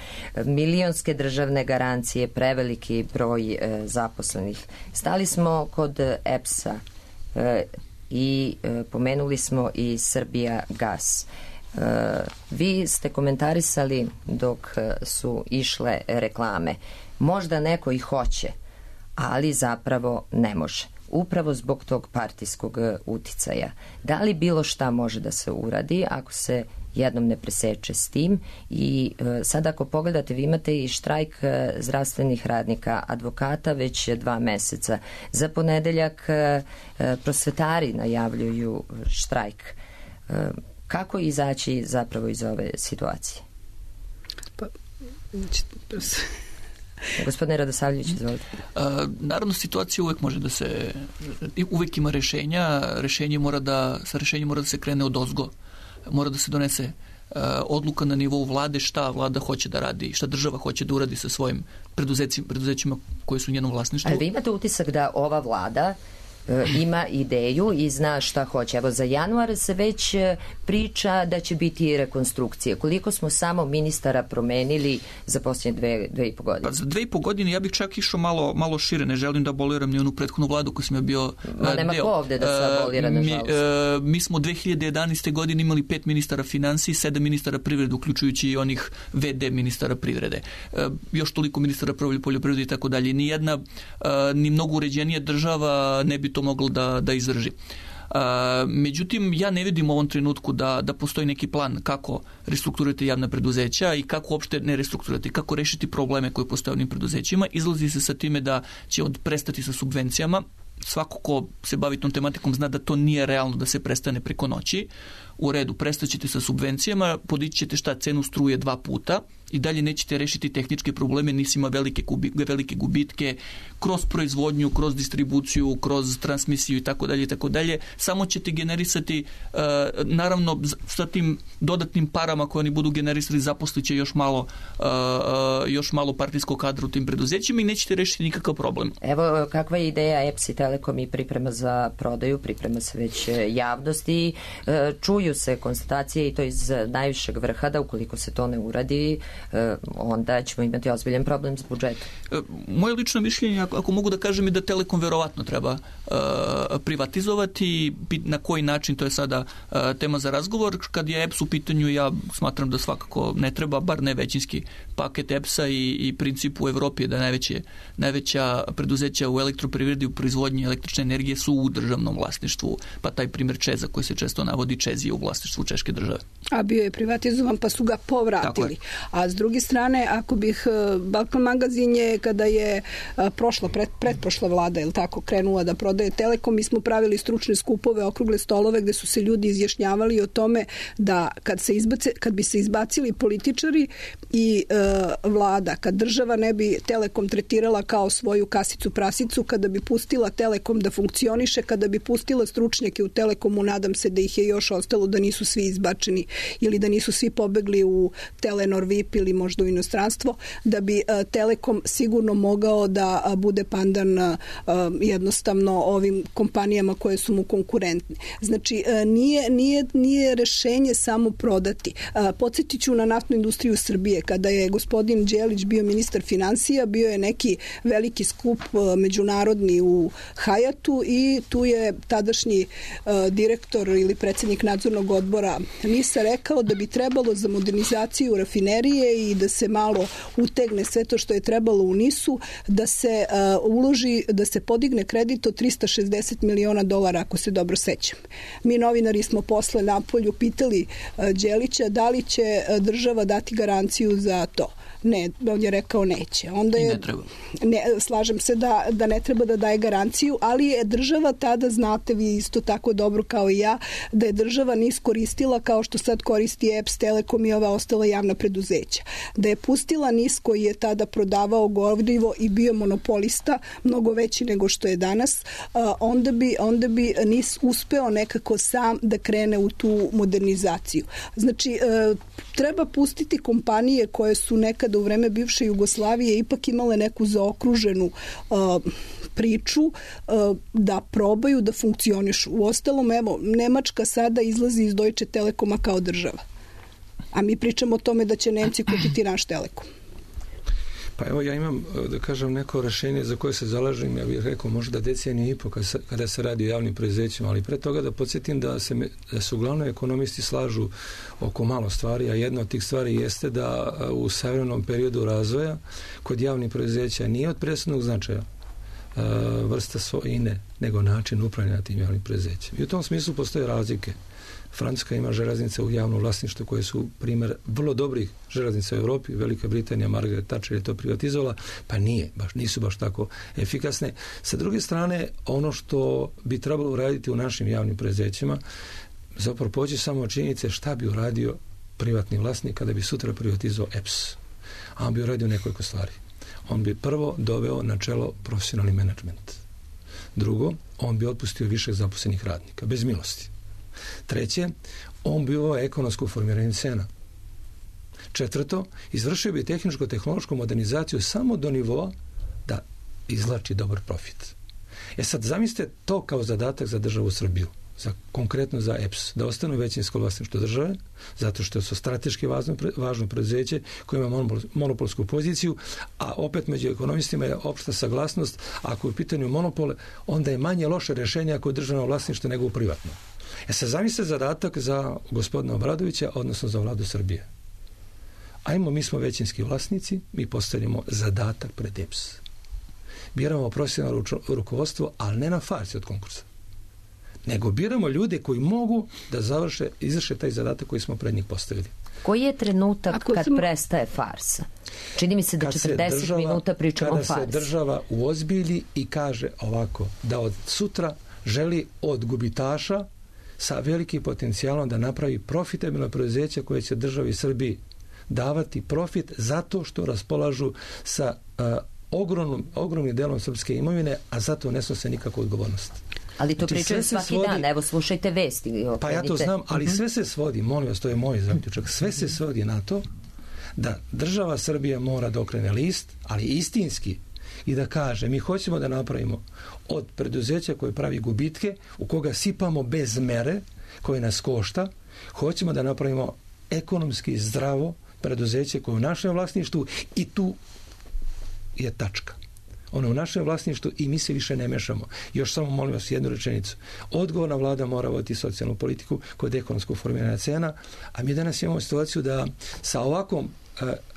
milionske državne garancije, preveliki broj zaposlenih. Stali smo kod EPS-a i pomenuli smo i Srbija gas. Vi ste komentarisali dok su išle reklame. Možda neko i hoće, ali zapravo ne može. Upravo zbog tog partijskog uticaja. Da li bilo šta može da se uradi ako se jednom ne preseče s tim? I sad ako pogledate, vi imate i štrajk zdravstvenih radnika, advokata već 2 meseca. Za ponedeljak prosvetari najavljuju štrajk. Kako izaći zapravo iz ove situacije? Pa, Gospodine Radosavljević, izvolite. Naravno, situacija uvek može uvek ima rešenja. Sa rešenjem mora da se krene odozgo. Mora da se donese odluka na nivou vlade šta vlada hoće da radi, šta država hoće da uradi sa svojim preduzećima koje su u njenom vlasništvu. Ali vi imate utisak da ova vlada ima ideju i zna šta hoće. Evo, za januar se već priča da će biti rekonstrukcije. Koliko smo samo ministara promenili za posljednje 2,5 godine? Pa za 2,5 godine ja bih čak išao malo šire. Ne želim da aboliram ni onu prethodnu vladu koju sam ja bio deo. Nema ko ovde da se abolira, nažalost. Mi smo 2011. godine imali 5 ministara finansije, 7 ministara privrede, uključujući i onih VD ministara privrede. Još toliko ministara poljoprivrede i tako dalje. Ni mnogo uređenija država ne bi to moglo da izdrži. Međutim, ja ne vidim u ovom trenutku da postoji neki plan kako restrukturirati javna preduzeća i kako uopšte ne restrukturirati, kako rešiti probleme koje postoje u ovim preduzećima. Izlazi se sa time da će prestati sa subvencijama. Svako ko se bavi tom tematikom zna da to nije realno da se prestane preko noći. U redu, prestaćete sa subvencijama, podići ćete cenu struje 2 puta i dalje nećete rešiti tehničke probleme, nisi ima velike gubitke kroz proizvodnju, kroz distribuciju, kroz transmisiju i tako dalje. Samo ćete generisati, naravno, sa tim dodatnim parama koje oni budu generisali, zaposliće još malo partijskog kadra u tim preduzećima i nećete rešiti nikakav problem. Evo, kakva je ideja EPS i Telekom i priprema za prodaju, priprema se već javnosti, čuju se konstatacije i to iz najvišeg vrha da ukoliko se to ne uradi, onda ćemo imati ozbiljan problem s budžetom. Moje lično mišljenje, ako mogu da kažem, je da Telekom verovatno treba privatizovati. Na koji način, to je sada tema za razgovor. Kad je EPS u pitanju, ja smatram da svakako ne treba, bar ne većinski paket EPS-a i princip u Evropi je da najveća preduzeća u elektroprivredi, u proizvodnji električne energije su u državnom vlasništvu. Pa taj primjer ČEZ-a koji se često navodi, ČEZ je u vlasništvu češke države. A bio je privatizovan pa su ga povratili. A s druge strane, ako bih Balkan magazin je kada je pretprošla vlada, je tako, krenula da prodaje Telekom, mi smo pravili stručne skupove, okrugle stolove gde su se ljudi izjašnjavali o tome da kad bi se izbacili političari i vlada, kad država ne bi Telekom tretirala kao svoju kasicu prasicu, kada bi pustila Telekom da funkcioniše, kada bi pustila stručnjake u Telekomu, nadam se da ih je još ostalo, da nisu svi izbačeni ili da nisu svi pobegli u Telenor VIP ili možda u inostranstvo, da bi Telekom sigurno mogao da bude pandan jednostavno ovim kompanijama koje su mu konkurentne. Znači, nije rešenje samo prodati. Podsjetit ću na naftnu industriju Srbije. Kada je gospodin Đelić bio ministar finansija, bio je neki veliki skup međunarodni u Hajatu i tu je tadašnji direktor ili predsjednik nadzornog odbora NIS-a rekao da bi trebalo za modernizaciju rafinerije i da se malo utegne sve to što je trebalo u NIS-u, da se uloži, da se podigne kredit od $360 miliona, ako se dobro sećam. Mi novinari smo posle napolju pitali Đelića da li će država dati garanciju za to. Ne, on je rekao neće. Onda je, ne treba. Slažem se da ne treba da daje garanciju, ali je država tada, znate vi isto tako dobro kao i ja, da je država NIS koristila kao što sad koristi EPS, Telekom i ova ostala javna preduzeća. Da je pustila NIS koji je tada prodavao gorivo i bio monopolista, mnogo veći nego što je danas, onda bi NIS uspeo nekako sam da krene u tu modernizaciju. Znači, treba pustiti kompanije koje su nekada u vreme bivše Jugoslavije ipak imale neku zaokruženu priču da probaju da funkcionišu. Uostalom, evo, Nemačka sada izlazi iz Deutsche Telekoma kao država. A mi pričamo o tome da će Nemci kupiti naš Telekom. Pa evo, ja imam, da kažem, neko rešenje za koje se zalažem, ja bih rekao možda deceniju i po kada se radi o javnim preduzećima, ali pre toga da podsjetim da se uglavnom ekonomisti slažu oko malo stvari, a jedna od tih stvari jeste da u savremenom periodu razvoja kod javnih preduzeća nije od presudnog značaja vrsta svojine, nego način upravljanja tim javnim preduzećima. I u tom smislu postoje razlike. Francuska ima železnice u javnom vlasništvu koje su primjer vrlo dobrih železnica u Evropi. Velika Britanija, Margaret Thatcher je to privatizovala, pa nisu baš tako efikasne. Sa druge strane, ono što bi trebalo uraditi u našim javnim preduzećima, zapravo poći samo od činjenice šta bi uradio privatni vlasnik kada bi sutra privatizovao EPS. A on bi uradio nekoliko stvari. on bi prvo doveo na čelo profesionalni menadžment. Drugo, on bi otpustio više zaposlenih radnika, bez milosti. Treće, on bi uveo ekonomsko formiranje cena. Četvrto, izvršio bi tehničko-tehnološku modernizaciju samo do nivoa da izvlači dobar profit. Sad zamislite to kao zadatak za državu Srbiju, konkretno za EPS, da ostane većinsko vlasništvo države, zato što su strateški važno preduzeće koje ima monopolsku poziciju, a opet među ekonomistima je opšta saglasnost, ako je u pitanju monopole, onda je manje loše rješenje ako je državno vlasništvo nego u privatno. Sad zamislite zadatak za gospodina Obradovića, odnosno za vladu Srbije. Ajmo, mi smo većinski vlasnici, mi postavljamo zadatak pred EPS. Biramo profesionalno rukovodstvo, ali ne na farsi od konkursa. Nego biramo ljude koji mogu da izvrše taj zadatak koji smo pred njih postavili. Koji je trenutak kad prestaje farsa? Čini mi se da 40 minuta pričamo o farsi. Kada se država uozbilji i kaže ovako, da od sutra želi od gubitaša sa velikim potencijalom da napravi profitabilno preduzeće koje će državi Srbiji davati profit zato što raspolažu sa ogromnim delom srpske imovine, a zato ne snose nikakvu odgovornost. Ali to pričaju svaki dan, evo slušajte vesti. Pa ja to znam, ali sve se svodi, molim vas, to je moj zaključak, sve se svodi na to da država Srbija mora da okrene list, ali istinski, i da kaže, mi hoćemo da napravimo od preduzeća koje pravi gubitke, u koga sipamo bez mere, koje nas košta, hoćemo da napravimo ekonomski zdravo preduzeće koje je u našem vlasništvu i tu je tačka. Ono je u našem vlasništvu i mi se više ne mešamo. Još samo molim vas jednu rečenicu. Odgovorna vlada mora voditi socijalnu politiku kod ekonomskog formiranja cena, a mi danas imamo situaciju da sa ovakvom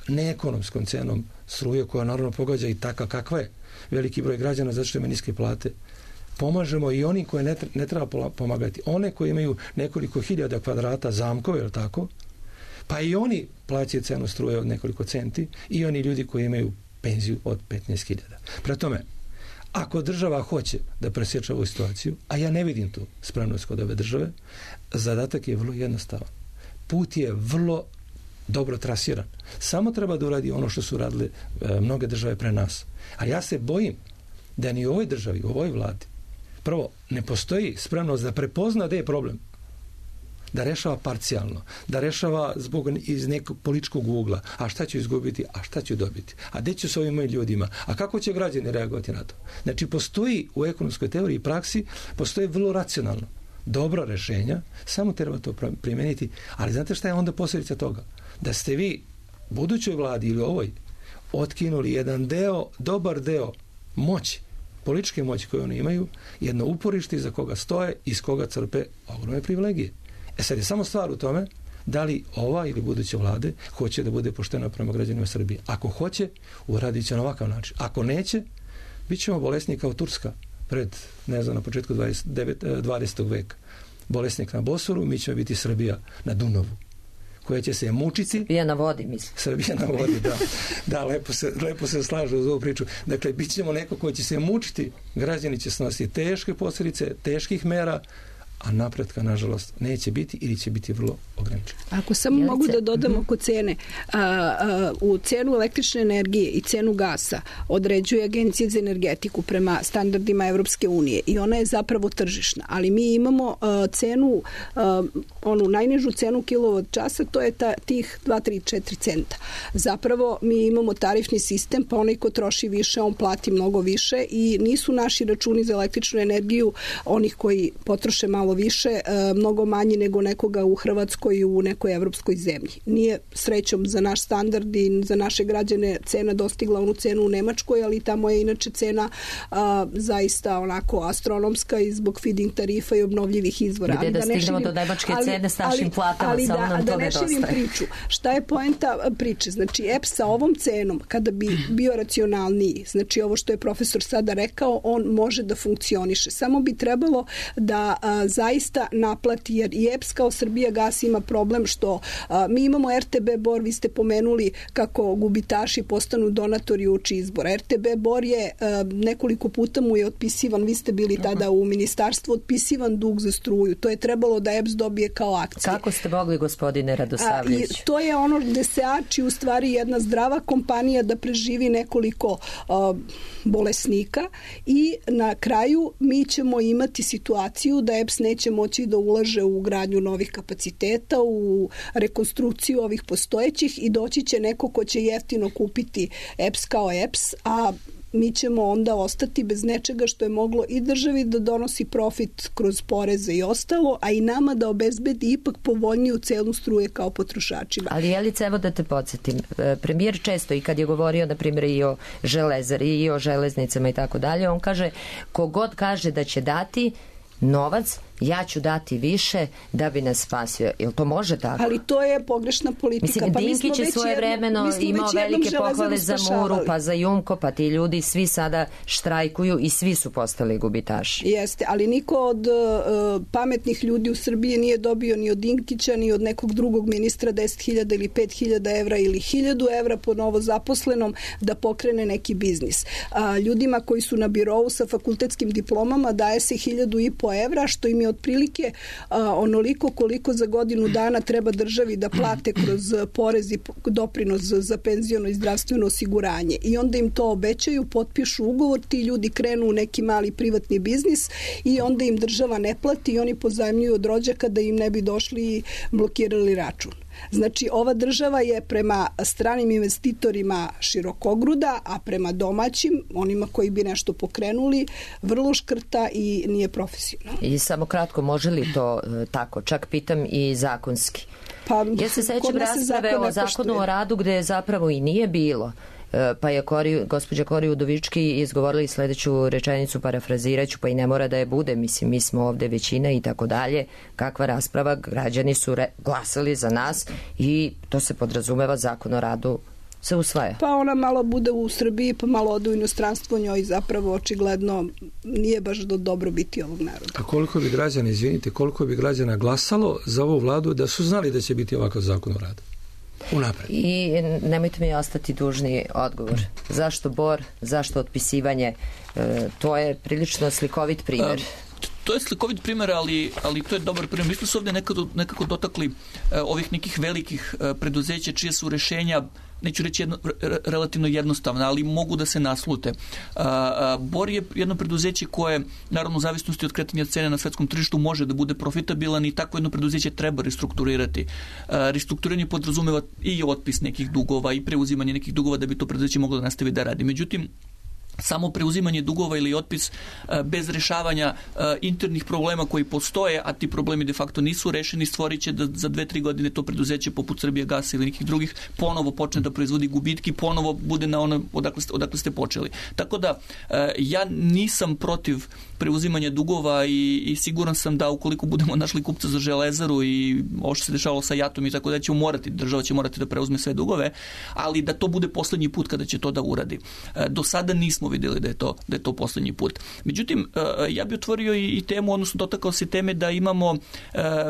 neekonomskom cenom struje, koja naravno pogađa i taka kakva je veliki broj građana zato što ima niske plate, pomažemo i oni koje ne treba pomagati. One koje imaju nekoliko hiljada kvadrata zamkove, ili tako, pa i oni plaćaju cenu struje od nekoliko centi i oni ljudi koji imaju penziju od 15.000. Prema tome, ako država hoće da presječe ovu situaciju, a ja ne vidim tu spremnost kod ove države, zadatak je vrlo jednostavan. Put je vrlo dobro trasiran. Samo treba da uradi ono što su radile mnoge države pre nas. A ja se bojim da ni u ovoj državi, u ovoj vladi, prvo, ne postoji spremnost da prepozna da je problem, da rešava parcijalno, da rešava iz nekog političkog ugla, a šta ću izgubiti, a šta ću dobiti, a gde ću s ovim mojim ljudima, a kako će građani reagovati na to. Znači, postoji u ekonomskoj teoriji i praksi, postoji vrlo racionalno dobra rešenja, samo treba to primeniti, ali znate šta je onda posljedica toga? Da ste vi budućoj vladi ili ovoj otkinuli jedan deo, dobar deo moći, političke moći koje oni imaju, jedno uporište iza koga stoje i iz koga crpe ogromne privilegije. Sad je samo stvar u tome da li ova ili buduće vlade hoće da bude poštena prema građanima Srbije. Ako hoće, uradit će na ovakav način. Ako neće, bit ćemo bolesni kao Turska pred, ne znam, na početku 20. veka. Bolesnik na Bosoru, mi ćemo biti Srbija na Dunavu, koja će se mučiti. Srbija na vodi, mislim. Srbija na vodi, da. Da, lepo se slažu uz ovu priču. Dakle, bit ćemo neko koji će se mučiti, građani će snositi teške posljedice, teških mera, a napretka, nažalost, neće biti ili će biti vrlo ograničen. Ako samo mogu da dodam oko cene, u cenu električne energije i cenu gasa određuje Agencija za energetiku prema standardima Evropske unije i ona je zapravo tržišna, ali mi imamo cenu, onu najnižu cenu kilovat časa, to je tih 2, 3, 4 centa. Zapravo mi imamo tarifni sistem, pa onaj ko troši više, on plati mnogo više i nisu naši računi za električnu energiju onih koji potroše malo više, mnogo manji nego nekoga u Hrvatskoj i u nekoj evropskoj zemlji. Nije srećom za naš standard i za naše građane cena dostigla onu cenu u Nemačkoj, ali tamo je inače cena zaista onako astronomska i zbog feed-in tarifa i obnovljivih izvora. Gde da stignemo do nemačke cene s našim platama, samo nam to nedostaje. Ali da ne širim priču. Šta je poenta priče? Znači, EPS sa ovom cenom, kada bi bio racionalniji, znači ovo što je profesor sada rekao, on može da funkcioniše. Samo bi trebalo da zaista naplati, jer i EPS kao Srbijagas ima problem što mi imamo RTB Bor, vi ste pomenuli kako gubitaši postanu donatori uoči izbora. RTB Bor je nekoliko puta mu je otpisivan, vi ste bili tada u ministarstvu, otpisivan dug za struju. To je trebalo da EPS dobije kao akcije. Kako ste mogli, gospodine Radosavljević? I to je ono gde se ači u stvari jedna zdrava kompanija da preživi nekoliko bolesnika i na kraju mi ćemo imati situaciju da EPS neće moći da ulaže u gradnju novih kapaciteta, u rekonstrukciju ovih postojećih i doći će neko ko će jeftino kupiti EPS kao EPS, a mi ćemo onda ostati bez nečega što je moglo i državi da donosi profit kroz poreze i ostalo, a i nama da obezbedi ipak povoljniju cenu struje kao potrošačima. Ali Jelica, evo da te podsjetim, premijer često i kad je govorio, na primjer, i o železari i o železnicama i tako dalje, on kaže, kogod kaže da će dati novac, ja ću dati više da bi nas spasio. Jel to može tako? Ali to je pogrešna politika. Mislim, Dinkić je svoje vremeno imao velike pohvale za Muru, pa za Jumko, pa ti ljudi svi sada štrajkuju i svi su postali gubitaši. Jeste, ali niko od pametnih ljudi u Srbiji nije dobio ni od Dinkića, ni od nekog drugog ministra 10.000 ili 5.000 evra ili 1.000 evra po novo zaposlenom da pokrene neki biznis. Ljudima koji su na birovu sa fakultetskim diplomama daje se 1.500 evra, što im je otprilike onoliko koliko za godinu dana treba državi da plate kroz porez i doprinos za penziono i zdravstveno osiguranje. I onda im to obećaju, potpišu ugovor, ti ljudi krenu u neki mali privatni biznis i onda im država ne plati i oni pozajmljuju od rođaka da im ne bi došli i blokirali račun. Znači, ova država je prema stranim investitorima širokogruda, a prema domaćim, onima koji bi nešto pokrenuli, vrlo škrta i nije profesionalno. I samo kratko, može li to tako? Čak pitam i zakonski. Pa, ja se sećam rasprave o zakonu o radu gde zapravo i nije bilo. Pa je gospođa Kori Udovički izgovorila sledeću rečenicu, parafraziraću, pa i ne mora da je bude, mislim, mi smo ovde većina i tako dalje. Kakva rasprava, građani su glasali za nas i to se podrazumeva, zakon o radu se usvaja. Pa ona malo bude u Srbiji, pa malo ode u inostranstvo, njoj zapravo očigledno nije baš do dobrobiti ovog naroda. A koliko bi građana, izvinite, koliko bi građana glasalo za ovu vladu da su znali da će biti ovakav zakon o radu? Unapred. I nemojte mi ostati dužni odgovor. Zašto Bor, zašto otpisivanje? To je prilično slikovit primjer. To je slikovit primjer, ali to je dobar primjer. Mi smo se ovdje nekako dotakli ovih nekih velikih preduzeća čije su rešenja, neću reći relativno jednostavna, ali mogu da se naslute. Bor je jedno preduzeće koje, naravno u zavisnosti od kretanja cene na svetskom tržištu, može da bude profitabilan i tako jedno preduzeće treba restrukturirati. Restrukturiranje podrazumeva i otpis nekih dugova i preuzimanje nekih dugova da bi to preduzeće moglo da nastavi da radi. Međutim, samo preuzimanje dugova ili otpis bez rešavanja internih problema koji postoje, a ti problemi de facto nisu rešeni, stvorit će da za 2-3 godine to preduzeće poput Srbijagasa ili nekih drugih ponovo počne da proizvodi gubitki, ponovo bude na ono odakle ste počeli. Tako da ja nisam protiv preuzimanja dugova i siguran sam da ukoliko budemo našli kupca za železaru i ovo što se dešavalo sa JAT-om i tako da država će morati da preuzme sve dugove, ali da to bude poslednji put kada će to da uradi. Do sada nismo vidjeli da je to poslednji put. Međutim, ja bih otvorio i temu, odnosno dotakao se teme da imamo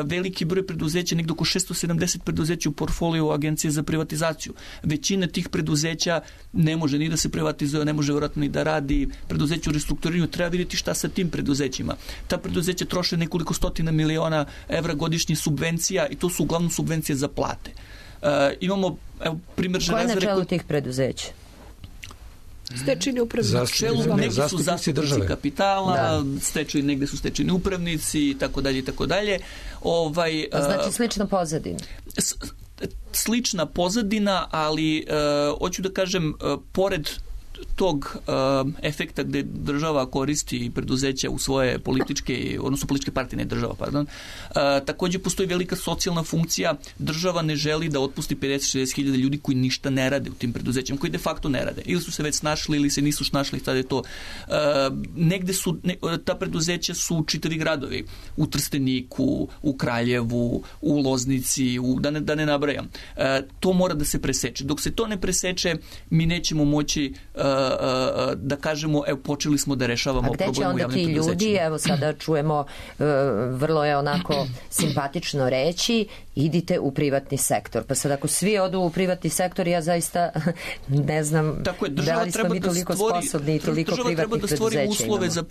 veliki broj preduzeća, negdje oko 670 preduzeća u portfoliju Agencije za privatizaciju. Većina tih preduzeća ne može ni da se privatizuje, ne može vjerojatno ni da radi. Preduzeće u restrukturiranju, treba vidjeti šta sa tim preduzećima. Ta preduzeća troše nekoliko stotina miliona evra godišnje subvencija i to su uglavnom subvencije za plate. Imamo primjer železare. Ko je na čelu tih preduzeća? Stečajni upravnici. Negdje su zastupnici kapitala, negdje su stečajni upravnici i tako dalje i tako dalje. Znači slična pozadina. Slična pozadina, ali hoću da kažem, pored tog efekta gde država koristi preduzeća u svoje političke, odnosno političke partije, ne država, pardon, također postoji velika socijalna funkcija. Država ne želi da otpusti 50-60 hiljada ljudi koji ništa ne rade u tim preduzećima, koji de facto ne rade. Ili su se već snašli, ili se nisu snašli, sad je to. Negde su, ta preduzeća su čitavi gradovi. U Trsteniku, u Kraljevu, u Loznici, da ne nabrajam. To mora da se preseče. Dok se to ne preseče, mi nećemo moći da kažemo, evo, počeli smo da rešavamo problem u javnim preduzećima. A gde će onda ti ljudi, evo sada čujemo, vrlo je onako simpatično reći, idite u privatni sektor. Pa sad ako svi odu u privatni sektor, ja zaista ne znam da li smo mi toliko sposobni i toliko privatnih preduzeća imamo. Država treba da stvori uslove za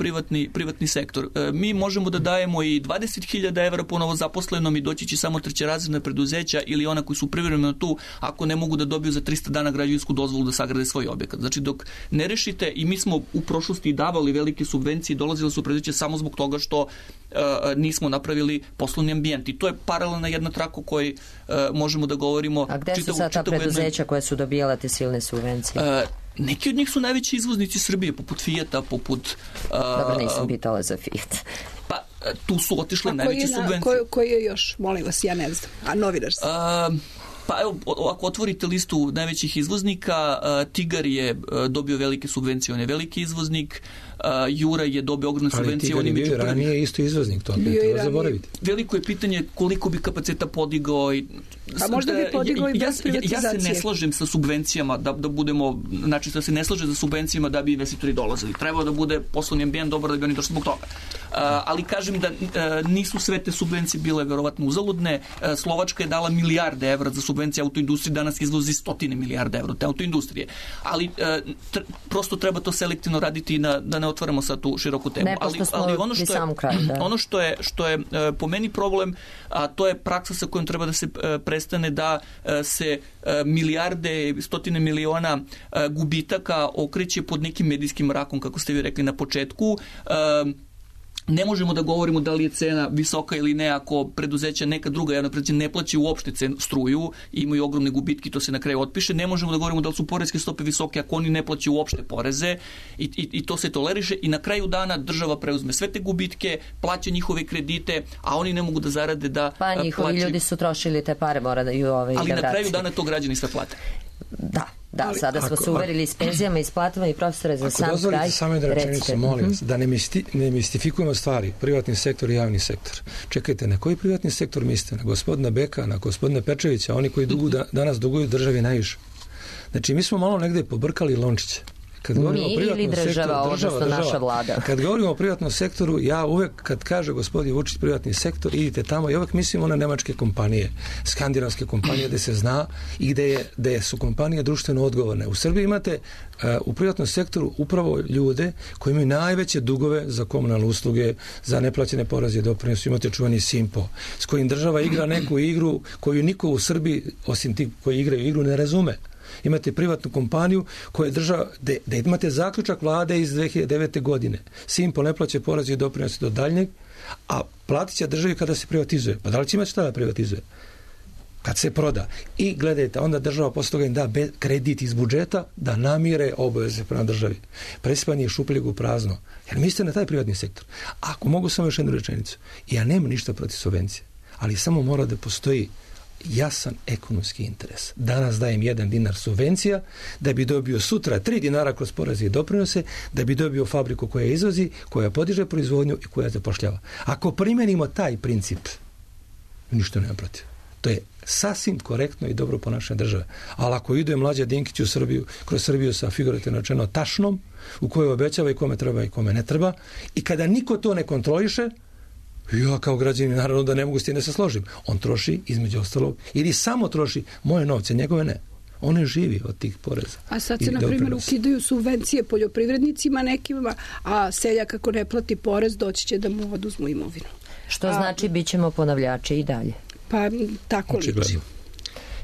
privatni sektor. Mi možemo da dajemo i 20.000 evra po novozaposlenom i doći će samo trećerazredna preduzeća ili ona koji su privremeno tu, ako ne mogu da dobiju za 300 dana građevinsku dozvolu da sagrade svoj objekat. Znači, dok ne rešite, i mi smo u prošlosti davali velike subvencije, dolazile su preduzeća samo zbog toga što nismo napravili poslovni ambijent. I to je paralelna jedna traka o kojoj možemo da govorimo. A gde su sad ta preduzeća koje su dobijala te silne subvencije? Neki od njih su najveći izvoznici Srbije, poput Fijata, poput... Dobro, nisam pitala za Fiat. Pa, tu su otišle najveće subvencije. Koji je još, molim vas, ja ne znam, a novinarski? Pa evo, ako otvorite listu najvećih izvoznika, Tigar je dobio velike subvencije, on je veliki izvoznik, Jura je dobio ogromne subvencije. Ali Tigar je bio ranije isto izvoznik, to ne treba zaboraviti. Veliko je pitanje koliko bi kapaciteta podigao. A možda bi podigao i bez privatizacije. Ja se ne slažem sa subvencijama, da budemo, znači da se ne slažem za subvencijama da bi investitori dolazili. Trebao da bude poslovni ambijent dobar da bi oni došli zbog toga. Ali kažem da nisu sve te subvencije bile verovatno uzaludne. Slovačka je dala milijarde evra za subvencije autoindustrije, danas izvozi 100 milijarde evra te autoindustrije. Ali prosto treba to selektivno raditi da ne otvaramo sad tu široku temu. Ne, pošto smo pri samom kraju. Ono što je po meni problem, a to je praksa sa kojom treba da se prestane da se milijarde, stotine miliona gubitaka okreće pod nekim medijskim mrakom, kako ste vi rekli na početku. Ne možemo da govorimo da li je cena visoka ili ne ako preduzeća neka druga javna preduzeća ne plaća uopšte struju i imaju ogromne gubitke, to se na kraju otpiše. Ne možemo da govorimo da li su poreske stope visoke ako oni ne plaćaju uopšte poreze i to se toleriše i na kraju dana država preuzme sve te gubitke, plaća njihove kredite, a oni ne mogu da zarade da pa njihovi ljudi su trošili te pare, mora da i ali na kraju dana to građani sve plate. Da, sada smo se uverili s penzijama i s platama i profesore za sam kraj. Ako dozvolite samo jednu rečenicu, molim vas, da ne mistifikujemo stvari, privatni sektor i javni sektor. Čekajte, na koji privatni sektor mislite? Na gospodina Beka, na gospodina Pečevića, oni koji danas duguju državi najviše. Znači, mi smo malo negde pobrkali lončiće. Mi ili država, odnosno naša vlada. Kad govorimo o privatnom sektoru, ja uvek, kad kaže gospodin Vučić privatni sektor, idite tamo i uvek mislim one nemačke kompanije, skandinavske kompanije gde se zna i gde su kompanije društveno odgovorne. U Srbiji imate u privatnom sektoru upravo ljude koji imaju najveće dugove za komunalne usluge, za neplaćene poreze i doprinose. Imate čuveni Simpo, s kojim država igra neku igru koju niko u Srbiji, osim ti koji igraju igru, ne razume. Imate privatnu kompaniju koja je država, da imate zaključak vlade iz 2009. godine. Simpo ne plaća poreze i doprinose do daljnjeg, a platit će državi kada se privatizuje. Pa da li će imati šta da privatizuje? Kad se proda. I gledajte, onda država posle toga im da kredit iz budžeta da namire obaveze prema državi. Presipanje šupljeg u prazno. Jer mislite na taj privatni sektor. Ako mogu samo još jednu rečenicu. Ja nemam ništa protiv subvencije, ali samo mora da postoji jasan ekonomski interes. Danas dajem 1 dinar subvencija da bi dobio sutra 3 dinara kroz poreze i doprinose, da bi dobio fabriku koja izvozi, koja podiže proizvodnju i koja zapošljava. Ako primenimo taj princip, ništa nema protiv. To je sasvim korektno i dobro ponašanje države. Ali ako ide Mlađa Dinkić u Srbiju, kroz Srbiju sa figurativno rečeno tašnom, u kojoj obećava i kome treba i kome ne treba, i kada niko to ne kontroliše, ja kao građanin naravno da ne mogu s tim da se složim. On troši između ostalog ili samo troši moje novce, njegove ne. On ne živi od tih poreza. A sad se, na primjer, ukidaju subvencije poljoprivrednicima nekima, a seljak ako ne plati porez, doći će da mu oduzmu imovinu. Što znači bit ćemo ponavljači i dalje? Pa tako liči.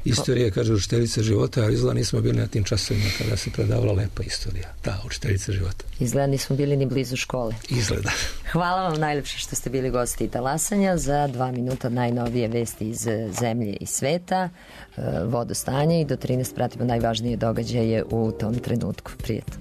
Istorija, kaže, učiteljica života, a izgleda nismo bili na tim časovima kada se predavala lepa istorija. Da, učiteljica života. Izgleda nismo bili ni blizu škole. Izgleda. Hvala vam najlepše što ste bili gosti Talasanja. Za 2 minuta najnovije vesti iz zemlje i sveta, vodostanje i do 13 pratimo najvažnije događaje u tom trenutku. Prijetno.